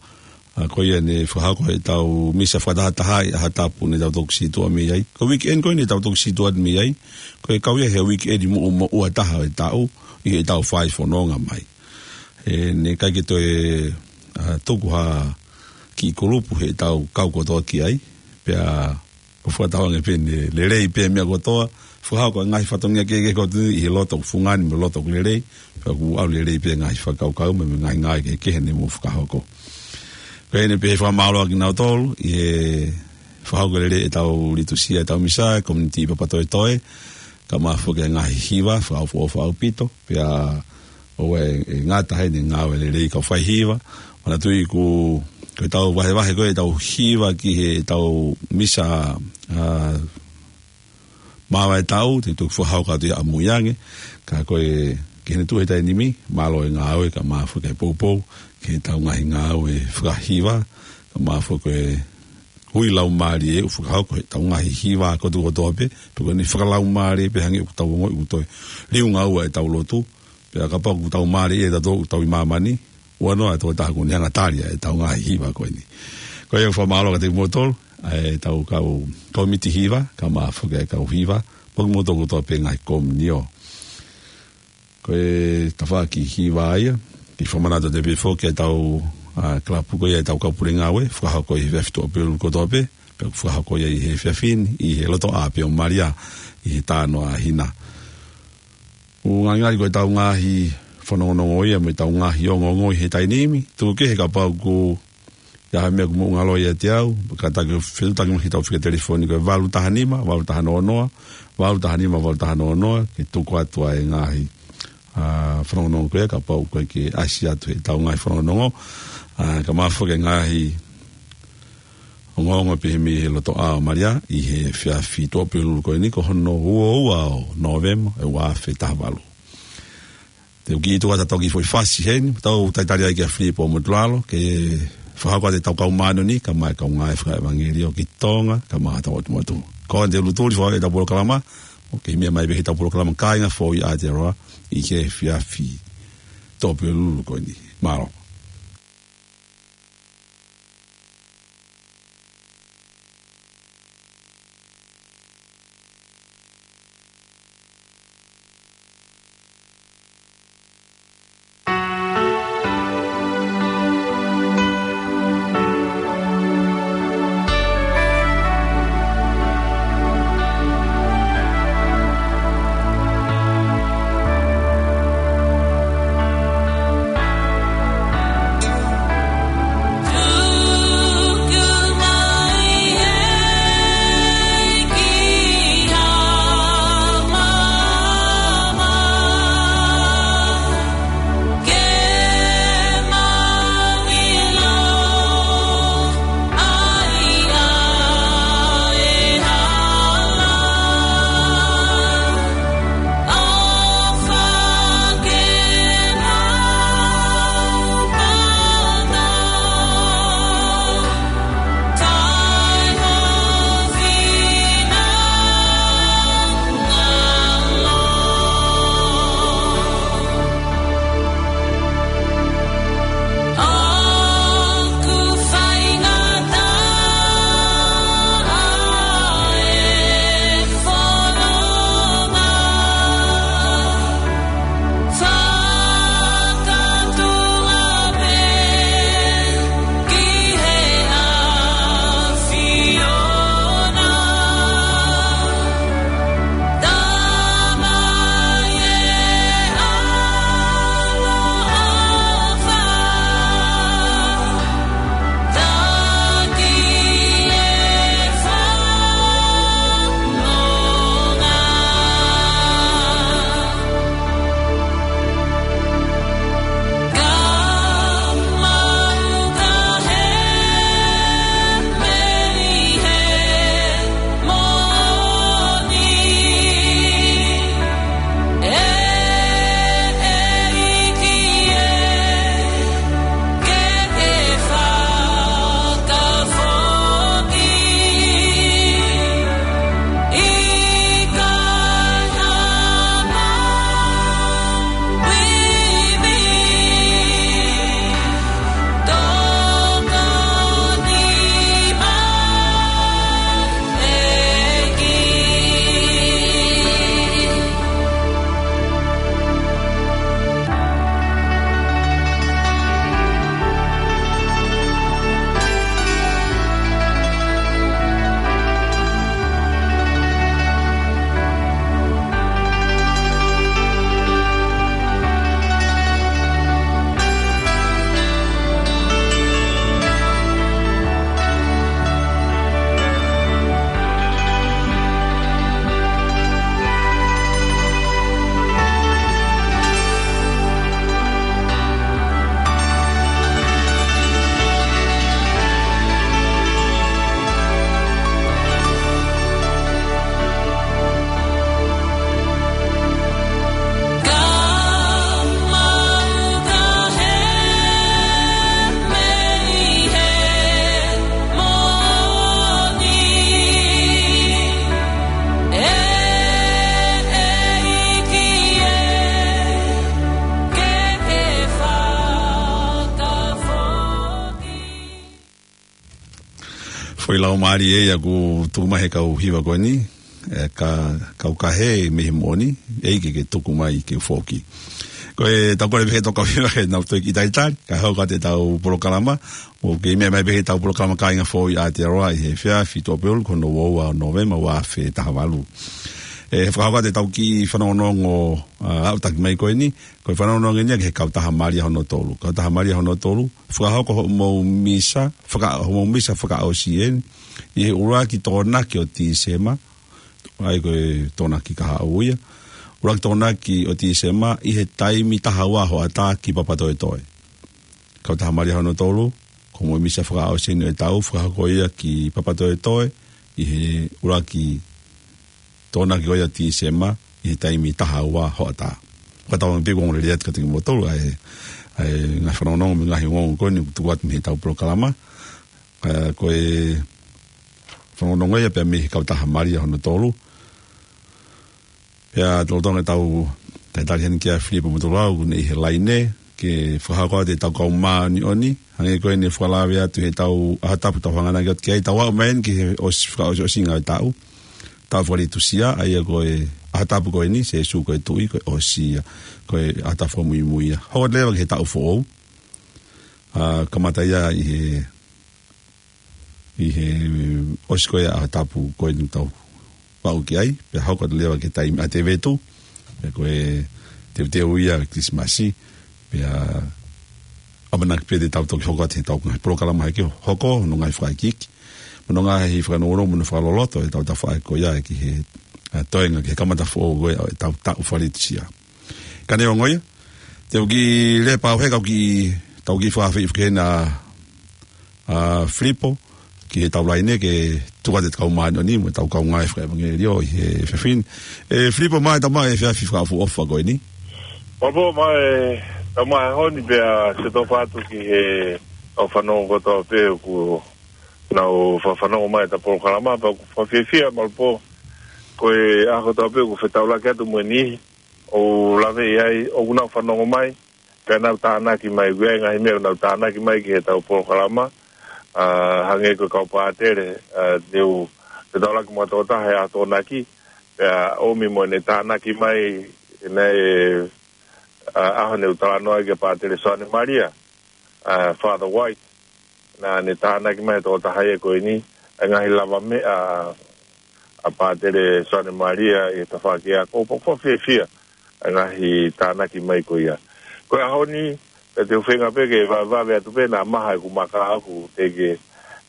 ʻa, ko ia ne fakahoko e tau misa fakatahatahaʻi ʻaho tapu ne tau toki sītuʻa mei ai. Ko e weekend ko eni ne tau toki sītuʻa mei ai, ko e kau ia he weekend moʻu, moʻua taha ʻo e taʻu, ʻi he tau fai fononga mai. ʻE, ne ʻikai ke toe, ʻa, tuku ha kiʻi kulupu he tau kau kotoa ki ai, pea ʻoku fakatauange pē ne lelei pē meʻa kotoa, fakahoko e ngaahi fatongia kehekehe kotoa ʻi he loto ʻoku fungani mo e loto ʻoku lelei, pea ʻoku ʻalu lelei pē ngaahi fakakaukau mo e ngaahi ngāue kehekehe ne mou fakahoko. Ko eni pē he fakamālō ʻa kinautolu, ʻi he fakahoko lelei e tau litusia, e tau misa, community ʻi Papatoetoe, kae ʻumaʻā foki e ngaahi hiva fakaʻofoʻofa ʻaupito, pea ʻoku ʻi ai e ngata heni e ngāue lelei ʻa e kau faihiva. Manatuʻi ʻoku, ko ʻetau vahevahe ko ē ʻetau hiva ki heʻetau misa, ā, māvae taʻu, te u toki fakahoko atu ia ʻamui ange, ka ko e, ki heʻene tuʻu he taimi ni, mālō e ngāue kae ʻumaʻā foki e poupou, ki heʻetau ngaahi ngāue fakahiva, kae ʻumaʻā foki e hui laumālie ʻoku fakahoko heʻetau ngaahi hiva kotoa kotoa pē, pe ko ʻene fakalaumālie pē hangē ʻoku tau ongoʻi ʻoku toe liunga ua ʻetau lotu, pea kapau ʻoku tau mālieʻia tautolu ʻoku tau ʻi māmani, ua noa e tokotaha ʻoku ne hanga ʻo tali ʻetau ngaahi hiva ko eni. Ko ia ʻoku fakamālō kiate kimoutolu, ʻa ʻetau kau kōmiti hiva, kae ʻumaʻā foki e kau hiva, mo kimoutolu kotoa pē ngaahi komiunitī. Ko e tafaʻaki hiva ia, ke fakamanatu atu pē foki ʻetau, ā, kalapu ko ia ʻetau kau pule ngāue, fakahoko ʻi he efiafi Tuʻapulelulu kotoa pē, pea ʻoku fakahoko ia ʻi he efiafi ni, ʻi he lotoʻā pē ʻo Malia, ʻi he tā noa ʻa Hina. ʻOku ngali ko ʻetau ngaahi fanongonongo ia, mo ʻetau ngaahi ongoongo ʻi he taimi ni, tuku kehe kapau ʻoku ʻi ai ha meʻa ʻoku mou ngalo ʻiate au, kātaki ʻo fetuʻutaki mai ki heʻetau fika telefoni ko e valu taha nima, valu taha noa noa, valu taha nima, valu taha noa noa, ke tuku atu ʻa e ngaahi, ā, fanongonongo ko ia, kapau ʻoku ʻikai ke ʻasi atu heʻetau ngaahi fanongonongo, ā, kae ʻumaʻā foki e ngaahi ongoongo pehē mei he lotoʻā ʻo Malia, ʻi he efiafi Tuʻapulelulu ko eni, ko hono ua ua ʻo Nōvema, ʻe ua afe taha valu. Te u kiʻi tuku atu ha toki foʻi fasi heni, tau talitali ai kia Filipo Motulalo, ke fakahoko atu ʻetau kau māʻoniʻoni, kae ʻumaʻā e kau ngāue fakaʻevangeliō ki Tonga, kae ʻumaʻā hotau ʻotu motu. Ko eni te u lutuli fakaʻetau polokalama, ʻo kei meʻa mai pē heʻetau polokalama Kāinga Foʻou ʻi Aotearoa, ʻi he efiafi Tuʻapulelulu ko eni. Mālō. ʻOku mālie ia ʻoku tuku mai he kau hiva ko eni, ē, ka, kau kahe mei he moʻoni, ʻEiki ke tuku mai ke u foki. Ko e tau kole pē ke tau kau hiva ke nau toe kiʻi talitali, kae hoko atu ʻetau polokalama, ʻoku kei meʻa mai pē ʻetau polokalama Kāinga Foʻou ʻi Aotearoa ʻi he efiafi Tuʻapulelulu, ko hono ua ua ʻo Nōvema, ua afe taha valu. ʻE, fakahoko atu ʻetau kiʻi fanongonongo, ā, aʻutaki mai ko eni, ko e fanongonongo eni ia ki he Kautaha Malia hono tolu. Kautaha Malia hono tolu, fakahoko hoʻomou misa, faka-, hoʻomou misa fakaʻosi eni, ʻi he ʻuluaki Tokonaki ʻo Tīsema, ʻa ia ko e Tokonaki kahaʻu ia, ʻuluaki Tokonaki ʻo Tīsema, ʻi he taimi taha ua hoʻatā ki Papatoetoe. Kautaha Malia hono tolu, ko hoʻomou misa fakaʻosi eni ʻo e taʻu, fakahoko ia ki Papatoetoe, ʻi he ʻuluaki Tokonaki ko ia ʻo Tīsema, ʻi he taimi taha ua hoʻatā. Ko e tau pē ʻoku ongoongolelei atu kiate kimoutolu, ʻa e, ʻa e ngaahi fanongonongo mo e ngaahi ongoongo ko eni ʻoku tuku atu mei heʻetau polokalama. Ā, ko e fanongonongo ia pea mei he Kautaha Malia hono tolu. Pea tolonga ʻetau talitali heni kia Filipo Motulau, ʻoku ne ʻi he laine, ke fakahoko atu ʻetau kau māʻoniʻoni, hangē ko eni ʻoku fakalave atu heʻetau ʻaho tapu ʻoku tau hanganaki atu ki ai, tau aʻu mai eni ki he ʻosi, fakaʻosiʻosinga ʻo e taʻu. Taʻu fakalitusia, ʻa ia ko e ʻaho tapu ko eni, Sēsū ko e Tuʻi, ko e ʻosi ia, ko e ʻaho tapu fakamuimui ia. Hoko atu leva ki he taʻu foʻou, ā, kamata ia ʻi he ʻi he ʻosi ko ia ʻaho tapu ko eni ʻoku tau aʻu ki ai, pea hoko atu leva ki he taimi ʻa e Tēvītu, pea ko e teuteu ia Kilisimasi, pea ʻamanaki pē te tau toki hoko atu heʻetau ngaahi polokalama hake hoko, hono ngaahi fakaikiiki, mo hono ngaahi fakanounou, mo hono fakaloloto ʻetau tafaʻaki ko ia ki he, ā, toenga ki he kamata foʻou ko ia ʻetau taʻu fakalitusia. Ka neongo ia, te u kiʻi lea pē au he kau kiʻi, tau kiʻi fakaafeʻi foki heni ʻa, ʻa Filipo, ki heʻetau laine ke tuku atu ʻetau kau māʻoniʻoni mo ʻetau kaungā fakaʻevangeliō ʻi he efiafi ni. ʻE Filipo, mālō e tau maʻu e efiafi fakaʻofoʻofa ko eni. Mālō, mālō e tau maʻu e ʻaho ni pea ʻoatu e tau fakafetaʻi ki he kau fanongo kotoa pē ʻoku nau fa-, fanongo mai heʻetau polokalama, pea ʻoku fakafiefia mālō pē ko e ʻaho kotoa pē ʻoku fetaulaki atu mo e niʻihi ʻoku laveʻi ai, ʻoku nau fanongo mai, pea nau tānaki mai, ʻoku ʻi ai e ngaahi meʻa ʻoku nau tānaki mai ki heʻetau polokalama, ā, hangē ko e kau pātele, ā, ne u fetaulaki mo ha tokotaha he ʻaho Tokonaki, pea ʻomi mo ʻene tānaki mai, ʻene, ā, ʻaho ne u talanoa ai kia Pātele Soane Malia, ā, Father White, naʻa ne tānaki mai he tokotaha ia ko eni, ʻa e ngaahi lavameʻa ʻa Pātele Soane Malia ʻi he tafaʻaki ako, pea ʻoku fakafiefia ʻa e ngaahi tānaki mai ko ia. Ko e ʻaho ni, pea te u feinga pē ke vavevave atu pē naʻa maha ʻeku maka ʻoku teʻeki,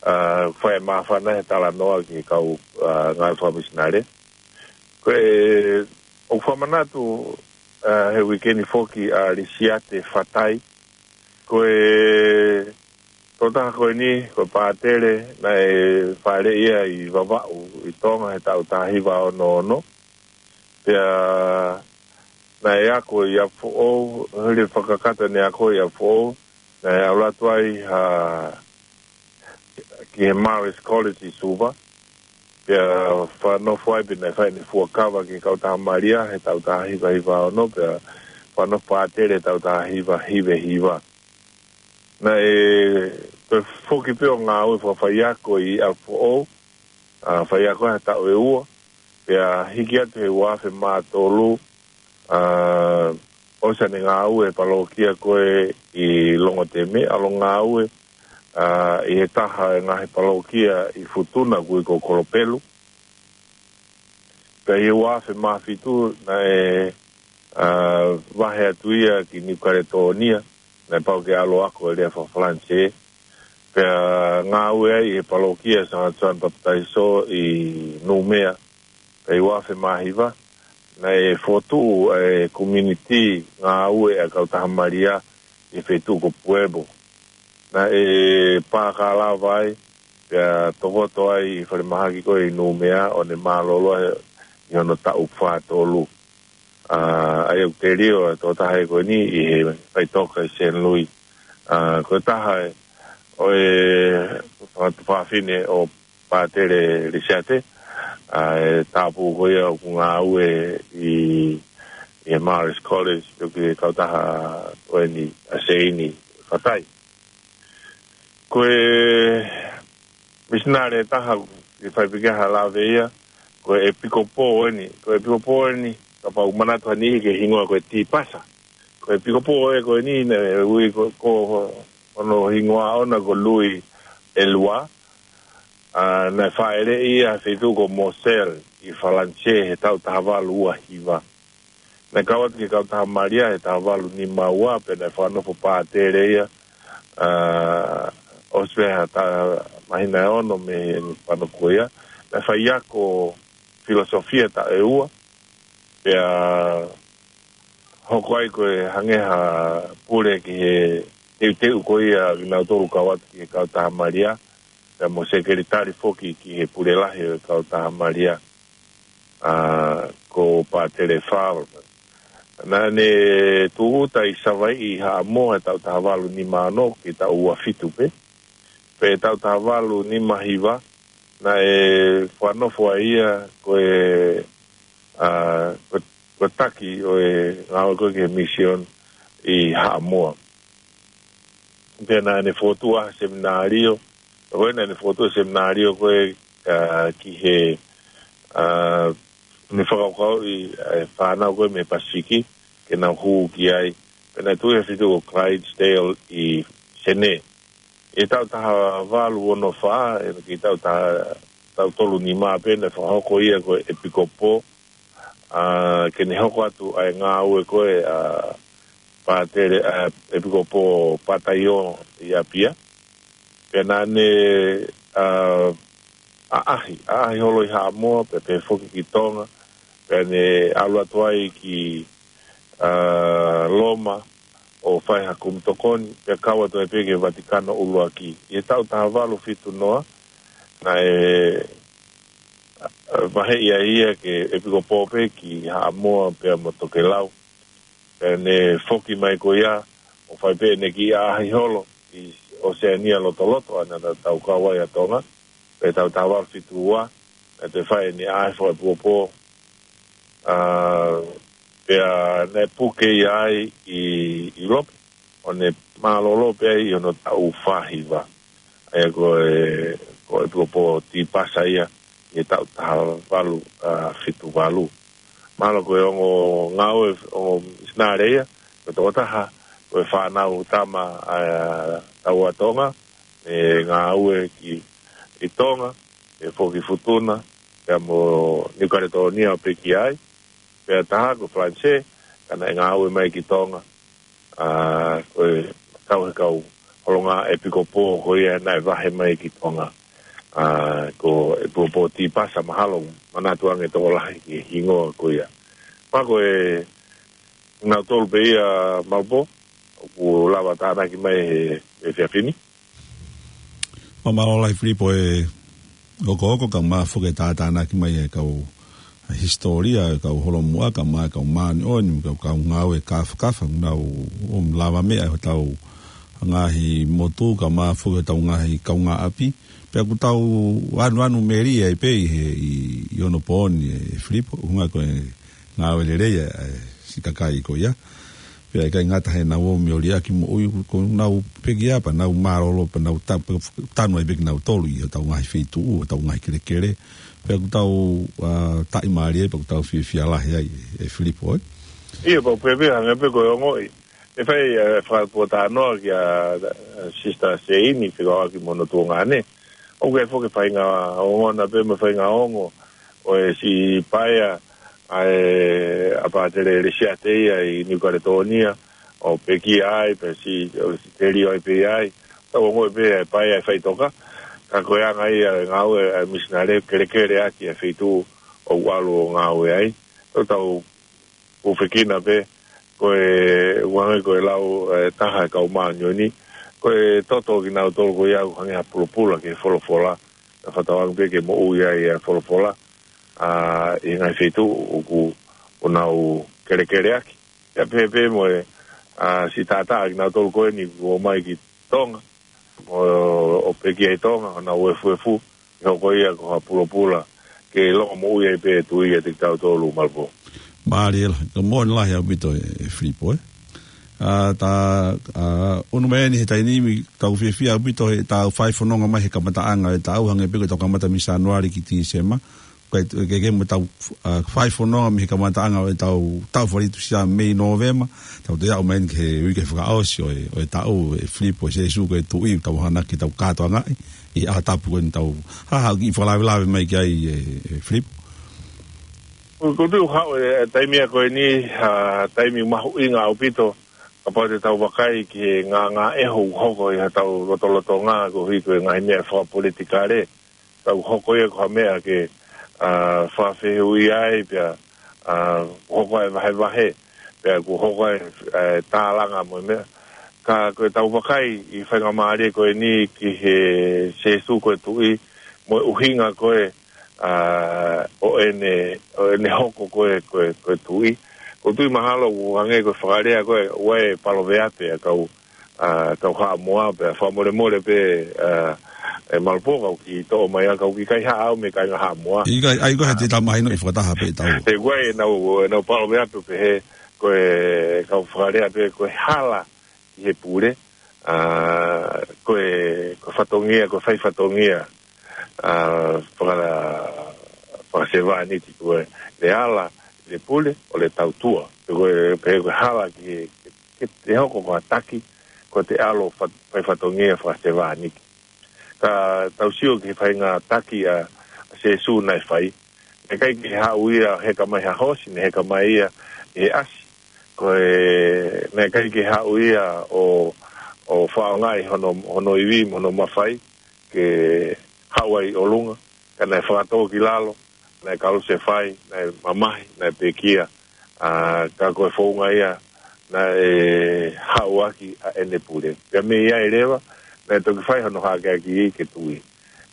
ā, fai māfana he talanoa ki he kau, ā, ngāue fakamisinale. Ko e, ʻoku fakamanatu, ā, he uike ni foki ʻa Lisiate Fatai, ko e tokotaha ko eni, ko e pātele, naʻe fāʻeleʻi ia ʻi Vavaʻu, ʻi Tonga, he taʻu taha hiva ono ono. Pea naʻe ako ʻi ʻApifoʻou, hili e fakakakato ʻene ako ʻi ʻApifoʻou, naʻe ʻalu atu ai ha, ki he Marist College ʻi Suva. Pea fakanofo ai pea naʻe fai ʻene fuakava ki he Kautaha Malia he taʻu taha hiva hiva ono, pea fakanofo pātele he taʻu taha hiva hiva hiva. Naʻe toe foki pē ʻo ngāue fakafaiako ʻi ʻApifoʻou, ā, faiako he taʻu ʻe ua, pea hiki atu he ua afe mā tolu, ā, ʻosi ʻene ngāue he palokia ko ē ʻi Longoteme, ʻalu ʻo ngāue, ā, ʻi he taha e ngaahi palokia ʻi Futuna, ʻoku ui ko Kolopelu. Pea ʻi he ua afe mā fitu naʻe, ā, vahe atu ia ki Niu Kaletōnia, naʻe pau ke ʻalu ʻo ako e lea faka-Falanisē. Pea ngāue ai ʻi he palokia Sangata Soane Papitaiso ʻi Numea. Pea ʻi he ua afe mā hiva, naʻe fokotuʻu e community ngāue ʻa e Kautaha Malia ʻi he feituʻu ko Pueblo. Naʻe pāka lava ai, pea tokoto ai ʻi he falemahaki ko ē ʻi Numea, ʻo ne mālōlō ai ʻi hono taʻu fā tolu. Ā, ʻa ia ʻoku telio e tokotaha ko eni ʻi he faʻitoka ʻi Saint Louis. Ā, ko e taha ʻo e fanga tuofāfine ʻo Pātele Lisiate, ā, e tāupoʻou ko ia ʻoku ngāue ʻi, ʻi he Marist College, ʻoku ʻi he kautaha ko eni ʻa Seini Fatai. Ko e misinale ʻe taha, ʻi fai pē ke ha lave ia, ko e ʻEpikopō eni, ko e ʻEpikopō eni, kapau manatu ha niʻihi ki he hingoa ko e Tīpasa. Ko e ʻEpikopō ē ko eni, naʻe ui ko, ko hono hingoa ʻoʻona ko Lui ʻElua, ʻa, naʻe fāʻeleʻi ia he feituʻu ko Moselle, ʻi Falanisē, he taʻu taha valu ua hiva. Naʻe kau atu ki he Kautaha Malia he taha valu nima ua, pea naʻe fakanofo pātele ia, ʻa, ʻosi pē ha ta-, māhina ʻe ono mei he fanongo ia. Naʻe faiako filosofia taʻu ʻe ua, pea hoko ai ko e hangē ha pule ki he teuteu ko ia kinautolu kau atu ki he Kautaha Malia, pea mo sekelitali foki ki he pule lahi ʻo e Kautaha Malia, ʻa, ko Pātele Favre. Naʻa ne tūʻuta ʻi Savaiʻi ʻi Haʻamoa he taʻu taha valu nima ono ki he taʻu ua fitu pē. Pea taʻu taha valu nima hiva, naʻe fakanofo ai ia ko e, ʻa, ko, ko e taki ʻo e ngāue ko ē ki he misiona ʻi Haʻamoa. Pea naʻa ne fokotuʻu ha seminalio, ko ē naʻa ne fokotuʻu seminalio ko ē, ʻa, ki he, ʻa, ne fakakaukauʻi, ʻa, e fānau ko ē mei Pasifiki, ke nau hū ki ai. Pea naʻe tuʻu ia he feituʻu ko Clydesdale ʻi Senē. ʻI he taʻu taha valu ono fā, ʻi he taʻu taha, taʻu tolu nima pē naʻe fakahoko ia ko e ʻEpikopō, ʻa, ke ne hoko atu ʻa e ngāue ko ē ʻa Pātele, ʻa, ʻEpikopō Pātaio ʻi ʻApia. Pea naʻa ne, ʻa, ʻaʻahi, ʻaʻahi holo ʻi Haʻamoa, pea pehē foki ki Tonga, pea ne ʻalu atu ai ki, ʻa, Loma, ʻo fai ha kumi tokoni, pea kau atu ai pē ki he Vatikano ʻUluaki. ʻI he taʻu taha valu fitu noa, naʻe, ʻa, vaheʻi ai ia ke ʻEpikopō pē ki Haʻamoa pea mo Tokelau. Pea ne foki mai ko ia, ʻo fai pē ʻene kiʻi ʻaʻahi holo ʻi ʻOseania Lotoloto, ʻa ia naʻa tau kau ai ʻa Tonga, pea taʻu taha valu fitu ua, naʻe toe fai ʻene ʻaʻahi fakaʻepikopō, ʻa, pea naʻe puke ia ai ʻi, ʻi ʻIulope, ʻo ne mālōlō pē ai ʻi hono taʻu fā hiva. ʻA ia ko e, ko e ʻEpikopō Tīpasa ia, ʻi he taʻu taha valu, ʻa, fitu valu. Mahalo ko e ongo ngāue, ongo misinale ia, ko e tokotaha, ko e fānau tama, ʻa, taua Tonga, ʻe ngāue ki, ʻi Tonga, ʻe foki Futuna, pea mo Niu Kaletōnia ʻo pekia ai, pea taha ko Falanisē, ka naʻe ngāue mai ki Tonga, ʻa, ko e kau he kau holonga ʻepikopō ko ia naʻe vahe mai ki Tonga, ʻa, ko e ʻEpikopō Tīpasa mahalo, manatu ange tokolahi ki he hingoa ko ia. Pea ko e, nautolu pē ia Malapō, ʻoku lava tānaki mai he, he efiafi ni. Mālō lahi Filipo e okooko kae ʻumaʻā foki e tātānaki mai e kau hisitōlia, e kau holomuʻa, kae ʻumaʻā e kau māʻoniʻoni, kau, kau ngāue kāfakafa, nau ʻomi lavameʻa ʻi hotau ngaahi motu, kae ʻumaʻā foki hotau ngaahi kaungāʻapi. Pea ʻoku tau anuanu melie ai pē ʻi he, ʻi, ʻi onopooni e Filipo, ʻuhinga ko e ngāue lelei e, e siʻi kakai ko ia. Pea ʻikai ngata heʻenau ō mei ʻo liʻaki moʻui, ko ʻenau pekia pea nau mālōlō pea nau ta-, tanu ai pē kinautolu ʻi hotau ngaahi feituʻu, hotau ngaahi kelekele. Pea ʻoku tau, ʻa, taʻimālie ai, pea ʻoku tau fiefia lahi ai, e Filipo, ē? ʻIo, pau pē pē, hangē pē ko e ongoʻi. ʻE fai, e, fakapōtalanoa kia, e, Sister Seini, fekauʻaki mo hono tuongaʻane. ʻOku ʻi ai foki e faʻahinga ongona pea mo e faʻahinga ongo ʻo e siʻi paea ʻa e, ʻa Pātele Lesiate ia ʻi Niu Kaletōnia, ʻo pekia ai, pea siʻi, ʻo siʻi telio ai pē ai. Tau ongoʻi pē e paea ʻe faʻitoka, ka ko e anga ia e ngāue e misinale kelekele ʻaki e feituʻu ʻoku ʻalu ʻo ngāue ai. Tau tau ʻUfekina pē, ko e, ʻoku hangē ko e lau, e, taha e kau māʻoniʻoni, ko e toto kinautolu ko ia ʻoku hangē ha pulopula ki he folofola, naʻa fakatauange pē ke moʻui ai e folofola, ʻa, ʻi he ngaahi feituʻu ʻoku, ʻoku nau kelekele ʻaki. Pea pehē pē mo e, ʻa, siʻi taʻataʻa kinautolu ko eni kuo ō mai ki Tonga, ʻo, ʻo pekia ʻi Tonga, ʻo nau efuefu, ʻe hoko ia ko ha pulopula, ke longomoʻui ai pē e tui ʻiate kitautolu Malapō. Mālie lahi, ka moʻoni lahi ʻaupito e, e Filipo, ē? ʻA, ta, ʻa, ʻunu mai eni he taimi ni, tau fiefia ʻaupito he tau fai fononga mai he kamataʻanga ʻo e taʻu, hangē pē ko ʻetau kamata mei Sānuali ki Tīsema. Ko e, ke, ke mo tau, ʻa, fai fononga mei he kamataʻanga ʻo ʻetau, tau fali tuʻusi ʻa Mei, Nōvema. Tau toe aʻu mai eni ki he uike fakaʻosi ʻo e, ʻo e taʻu, ʻe Filipo, ʻe Sēsū ko e Tuʻi, tau hanga ki he tau kātoangaʻi, ʻi he ʻaho tapu ko eni tau, ha, ha, kiʻi fakalavelave mai ki ai ʻe, ʻe Filipo. Ko, ko e tuʻu haʻu e, e taimi ko eni, ʻa, taimi mahuʻinga ʻaupito, kapau te tau vakai ki he ngāngāʻehu ʻoku hoko ʻi hotau lotolotonga koeʻuhi ko e ngaahi meʻa fakapolitikale, tau hoko ia ko ha meʻa ke, ʻa, fakafehuʻi ai, pea, ʻa, hoko ai vahevahe, pea ʻoku hoko ai, ʻa, tālanga mo e meʻa. Ka ko ʻetau vakai ʻi he faingamālie ko eni ki he Sēsū ko e Tuʻi, mo e ʻuhinga ko ē, ʻa, ʻo ʻene, ʻo ʻene hoko ko e, ko e, ko e Tuʻi. ʻOku ou tui mahalo ʻoku hangē ko e fakalea ko ē, ʻoku ʻi ai e paloveape ʻa e kau, ʻa, kau Haʻamoa, pea fakamolemole pē, ʻa, ʻe Malupō, ka u kiʻi toʻo mai ā, ka u kiʻi kaihaʻa au mei he kāinga Haʻamoa. ʻIkai, ʻa ia ko e hā te tau mahinoʻi fakataha pē ʻe taua. He ʻoku ʻi ai ʻenau, ʻenau paloveape ʻoku pehē, ko e, kau fakalea pē, ko e hala ki he pule, ʻa, ko e, ko e fatongia, ko e fai fatongia, ʻa, faka-, fakasevāniti, ko e, le ala, le pule, ʻo le tautua. Ko e, pehē ko e hala ki he, ke, ke te hoko ko ha taki, ko ʻete ʻalu ʻo fa-, fai fatongia fakasevāniti. Ka tau sio ki he faʻahinga taki ʻa, ʻa Sēsū naʻe fai. Naʻe ʻikai ke haʻu ia heka mai ha hoosi, naʻe heka mai ia ʻi he ʻasi. Ko e, naʻe ʻikai ke haʻu ia ʻo, ʻo fakaʻaongaʻi hono, hono ivi mo hono mafai ke haʻu ai ʻi ʻolunga. Ka naʻe fakatō ki lalo, naʻe kalusefai, naʻe mamahi, naʻe pekia. ʻA, ka ko e founga ia, naʻe haʻu ʻaki ʻa ʻene pule. Pea mei ai leva, naʻe toki fai hono hakeakiʻi ke tuʻi.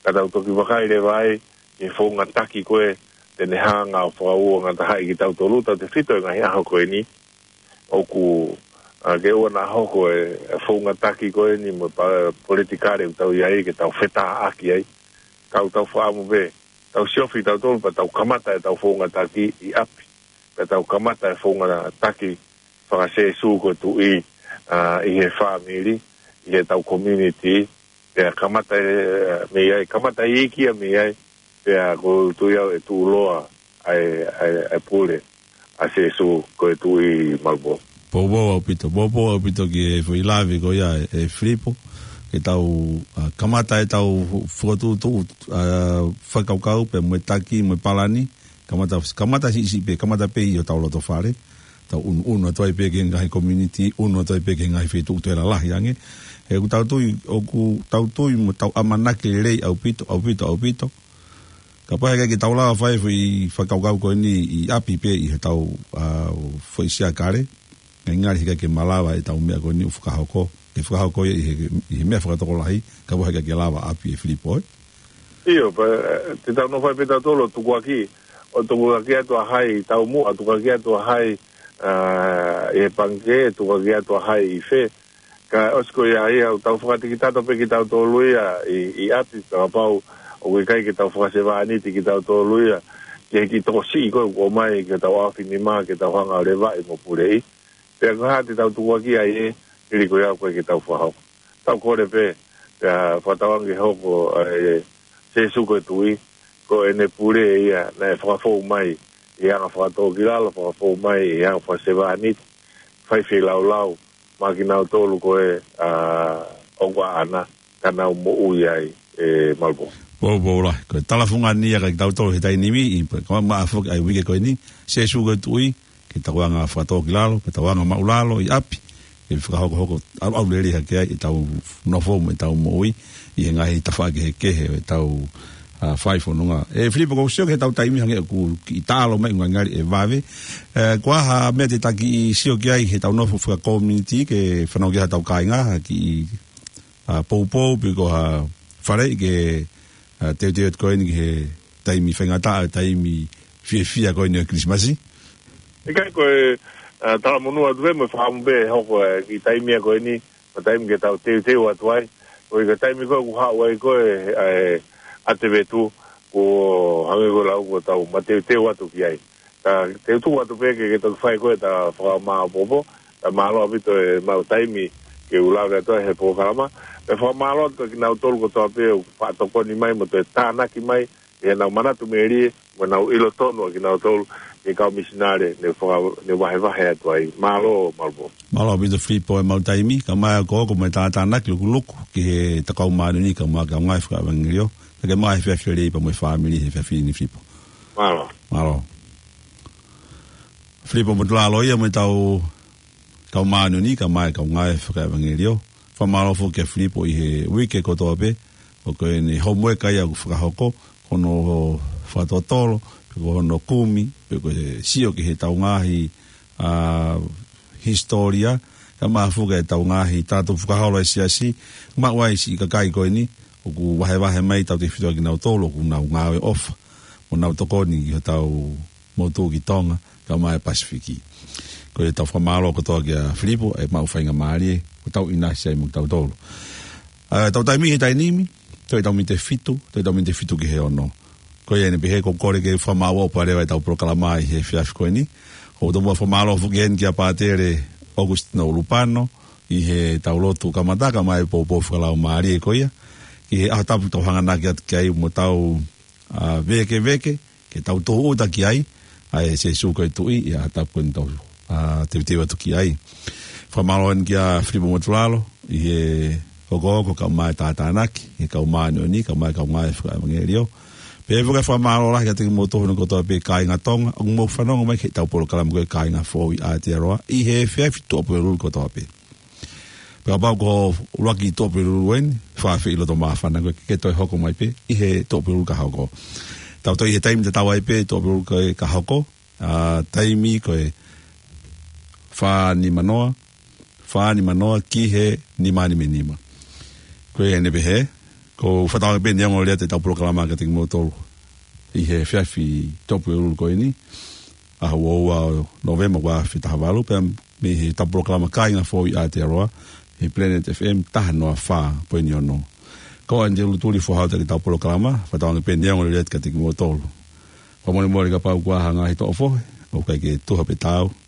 Ka tau toki vakai leva ai, ki he founga taki ko ē, te ne hanga ʻo fakauangatahaʻi kitautolu, tautefito he ngaahi ʻaho ko eni, ʻoku, ʻa, ke ʻoua naʻa hoko e, e founga taki ko eni mo e pa-, politikale ʻoku tau ʻi ai ke tau fetāʻaki ai. Ka ʻoku tau fakaʻamu pē, tau siofi kitautolu pea tau kamata ʻetau founga taki ʻi ʻapi. Pea tau kamata e founga taki faka-Sēsū ko e Tuʻi, ʻa, ʻi he fāmili, ʻi heʻetau community, pea kamata e, mei ai, kamata e iiki ia mei ai, pea ʻoku ou tui au ʻe tuʻuloa ʻa e, ʻa e, ʻa e pule ʻa Sēsū ko e Tuʻi, Malupō. Poupou ʻaupito, poupou ʻaupito ki he foʻi lave ko ia ʻe, ʻe Filipo, ke tau, ʻa, kamata ʻetau fokotuʻutuʻu, ʻa, fakakaukau pea mo e taki, mo e palani, kamata, kamata siʻisiʻi pē, kamata pē ʻi hotau loto fale, tau ʻunu, ʻunu atu ai pē ki he ngaahi community, ʻunu atu ai pē ki he ngaahi feituʻu toe lalahi ange. He ʻoku tau tui, ʻoku tau tui mo tau ʻamanaki lelei ʻaupito, ʻaupito, ʻaupito. Kapau heʻikai ke tau lava fai e foʻi fakakaukau ko eni ʻi ʻapi pē ʻi heʻetau, ʻa, foʻi siakale, ngali heʻikai ke malava ʻetau meʻa ko eni ʻoku fakahoko, ke fakahoko ia ʻi he, ʻi he meʻa fakatokolahi, kapau heʻikai ke lava ʻapi, ʻe Filipo, ē? ʻIo, pea, ʻe, te tau nofo ai pē tautolu ʻo tukuakiʻi, ʻo tukuakiʻi atu ʻa hai taumuʻa, tukuakiʻi atu ʻa hai, ʻa, ʻi he pangikē, tukuakiʻi atu ʻa hai ʻi fē. Ka ʻosi ko ia ia, ʻoku tau fakatikitato pē kitautolu ia ʻi, ʻi ʻapi, kapau ʻoku ʻikai ke tau fakasevāniti kitautolu ia, ki he kiʻi tokosiʻi ko ē ʻoku ʻomai ki hotau ʻaofinima, ke tau hanga ʻo levaʻi mo puleʻi. Pea ko e hā te tau tukuakiʻi ai ē, hili ko ia ʻoku ʻikai ke tau fakahoko. Tau kole pē, pea fakatauange hoko, ʻa, ʻe Sēsū ko e Tuʻi, ko ʻene pule ia, naʻe fakafou mai ʻi he anga fakatōkilalo, fakafou mai ʻi he anga fakasevāniti, fai feilaulau, maʻa kinautolu ko ē, ʻa, ʻoku ʻaʻana, ka nau moʻui ai, ʻe Malupō. Poupou lahi, ko e talafungani ia kia kitautolu he taimi ni, ʻi he, ko e maʻa foki ʻa e uike ko eni, Sēsū ko e Tuʻi, ke tau anga fakatōkilalo, ke tau anga māʻulalo ʻi ʻapi, ke fakahokohoko ʻalu, ʻalu lelei hake ai ʻetau nofo mo ʻetau moʻui ʻi he ngaahi tafaʻaki kehekehe ʻo ʻetau, ʻa, fai fononga. ʻE Filipo, ʻoku ou sio ki heʻetau taimi hangē ʻoku kiʻi taʻalo mai, ngali ʻe vave. ʻE, ko e hā ha meʻa te ta kiʻi sio ki ai heʻetau nofo fakakominiti ke fanongo ki ai hotau kāinga, ha kiʻi, ʻa, poupou pe ko ha faleʻi ke, ʻa, teuteu atu ko eni ki he taimi faingataʻa, taimi fiefia ko eni ʻo e Kilisimasi? ʻIkai, ko e, ʻa, talamonū atu pē mo e fakaʻamu pē hoko e kiʻi taimi ia ko eni, ko e taimi ke tau teuteu atu ai. Ko e kiʻi taimi ko ē ʻoku haʻu ai ko ē, ʻa e, ʻa e ʻatevetu, ko e hangē ko e lau ko ē tau mateuteu atu ki ai. Ka te u tuku atu pē ke, ke toki fai ko ē ʻeta fakamāopoopo, Ka mālō ʻaupito e maʻu taimi ke u lave atu ai he polokalama. Pea fakamālō atu kia kinautolu kotoa pē ʻoku faʻa tokoni mai mo toe tānaki mai ʻi heʻenau manatu melie mo ʻenau ʻilo tonu ʻa kinautolu ki he kau misinale ne faka-, ne vahevahe atu ai. Mālō, Malupo. Mālō ʻaupito Filipo e maʻu taimi, kae ʻumaʻā e hokohoko mo e tātānaki lukuluku ki he Tokau Māʻoniʻoni kae ʻumaʻā e kau ngāue fakaʻevangeliō. Pea ke maʻu e efiafi lelei pea mo e fāmili he efiafi ni Filipo. Mālō. Mālō. Filipo Motulalo ia mo ʻetau Tokau Māʻoniʻoni kae ʻumaʻā e kau ngāue fakaʻevangeliō. Fakamālō foki kia Filipo ʻi he uike kotoa pē, ʻoku ʻi ai ʻene homework ia ʻoku fakahoko, ko hono fakatotolo, pe ko hono kumi, pe ko e sio ki heʻetau ngaahi, ā, hisitōlia, kae ʻumaʻā foki ʻetau ngaahi tala tupu fakaholo ʻa e siasi, maʻu ai siʻi kakai ko eni, ʻoku vahevahe mai tautefito ʻa kinautolu, ʻoku nau ngāue ʻofa, mo nau tokoni ki hotau motu ki Tonga, kae ʻumaʻā e Pasifiki. Ko ia tau fakamālō kotoa kia Filipo, e maʻu faingamālie, ʻoku tau ʻinasi ai mo kitautolu. Ā, tau taimi he taimi ni, toe tau miniti ʻe fitu, toe tau miniti ʻe fitu ki he ono. Ko ia ʻeni pē he ʻoku ou kole ke fakamālō ʻaupito leva ʻetau polokalama ʻi he efiafi ko eni. ʻOku ou tomuʻa fakamālō foki heni kia Pātele ʻOkusitino ʻUlupano, ʻi heʻetau lotu kamata kae ʻumaʻā e poupou fakalaumālie ko ia. Ki he ʻaho tapu tau hanganaki atu ki ai mo tau ā, vēkeveke, ke tau tōʻuta ki ai, ʻa e Sēsū ko e Tuʻi, ʻi he ʻaho tapu ko eni tau, ā, teuteu atu ki ai. Fakamālō eni kia Filipo Motulalo, ʻi he hokohoko kae ʻumaʻā e tātānaki, ʻi he Tokau Māʻoniʻoni, kae ʻumaʻā e kau ngāue fakaʻevangeliō. Pea foki fakamālō lahi kiate kimoutolu kotoa pē kāinga Tonga, ʻoku mou fanongo mai ki heʻetau polokalama ko e Kāinga Foʻou ʻi Aotearoa, ʻi he efiafi Tuʻapulelulu kotoa pē. Pea kapau ko e ʻuluaki Tuʻapulelulu eni, fakaafeʻi loto māfana koe ke ke toe hoko mai pē ʻi he Tuʻapulelulu ka hoko. Tau toe ʻi he taimi tatau ai pē Tuʻapulelulu ko ē ka hoko, ā, taimi ko e fā nima noa, fā nima noa ki he nima nima nima. Ko ia ʻeni pē he, ʻoku ou fakatauange pē neongo lea ʻetau polokalama kiate kimoutolu ʻi he efiafi Tuʻapulelulu ko eni, ʻaho ua ua ʻo Nōvema ua afe taha valu, pea mei heʻetau polokalama Kāinga Foʻou ʻi Aotearoa, he Planet F M taha noa fā poini ono. Ko ʻAnitelu Tuli Fohau ʻetau polokalama, fakatauange pē neongo lea kiate kimoutolu. Fakamolemole kapau ʻoku ʻi ai ha ngaahi toʻofohe, ʻoku ʻikai ke tuha pe taau,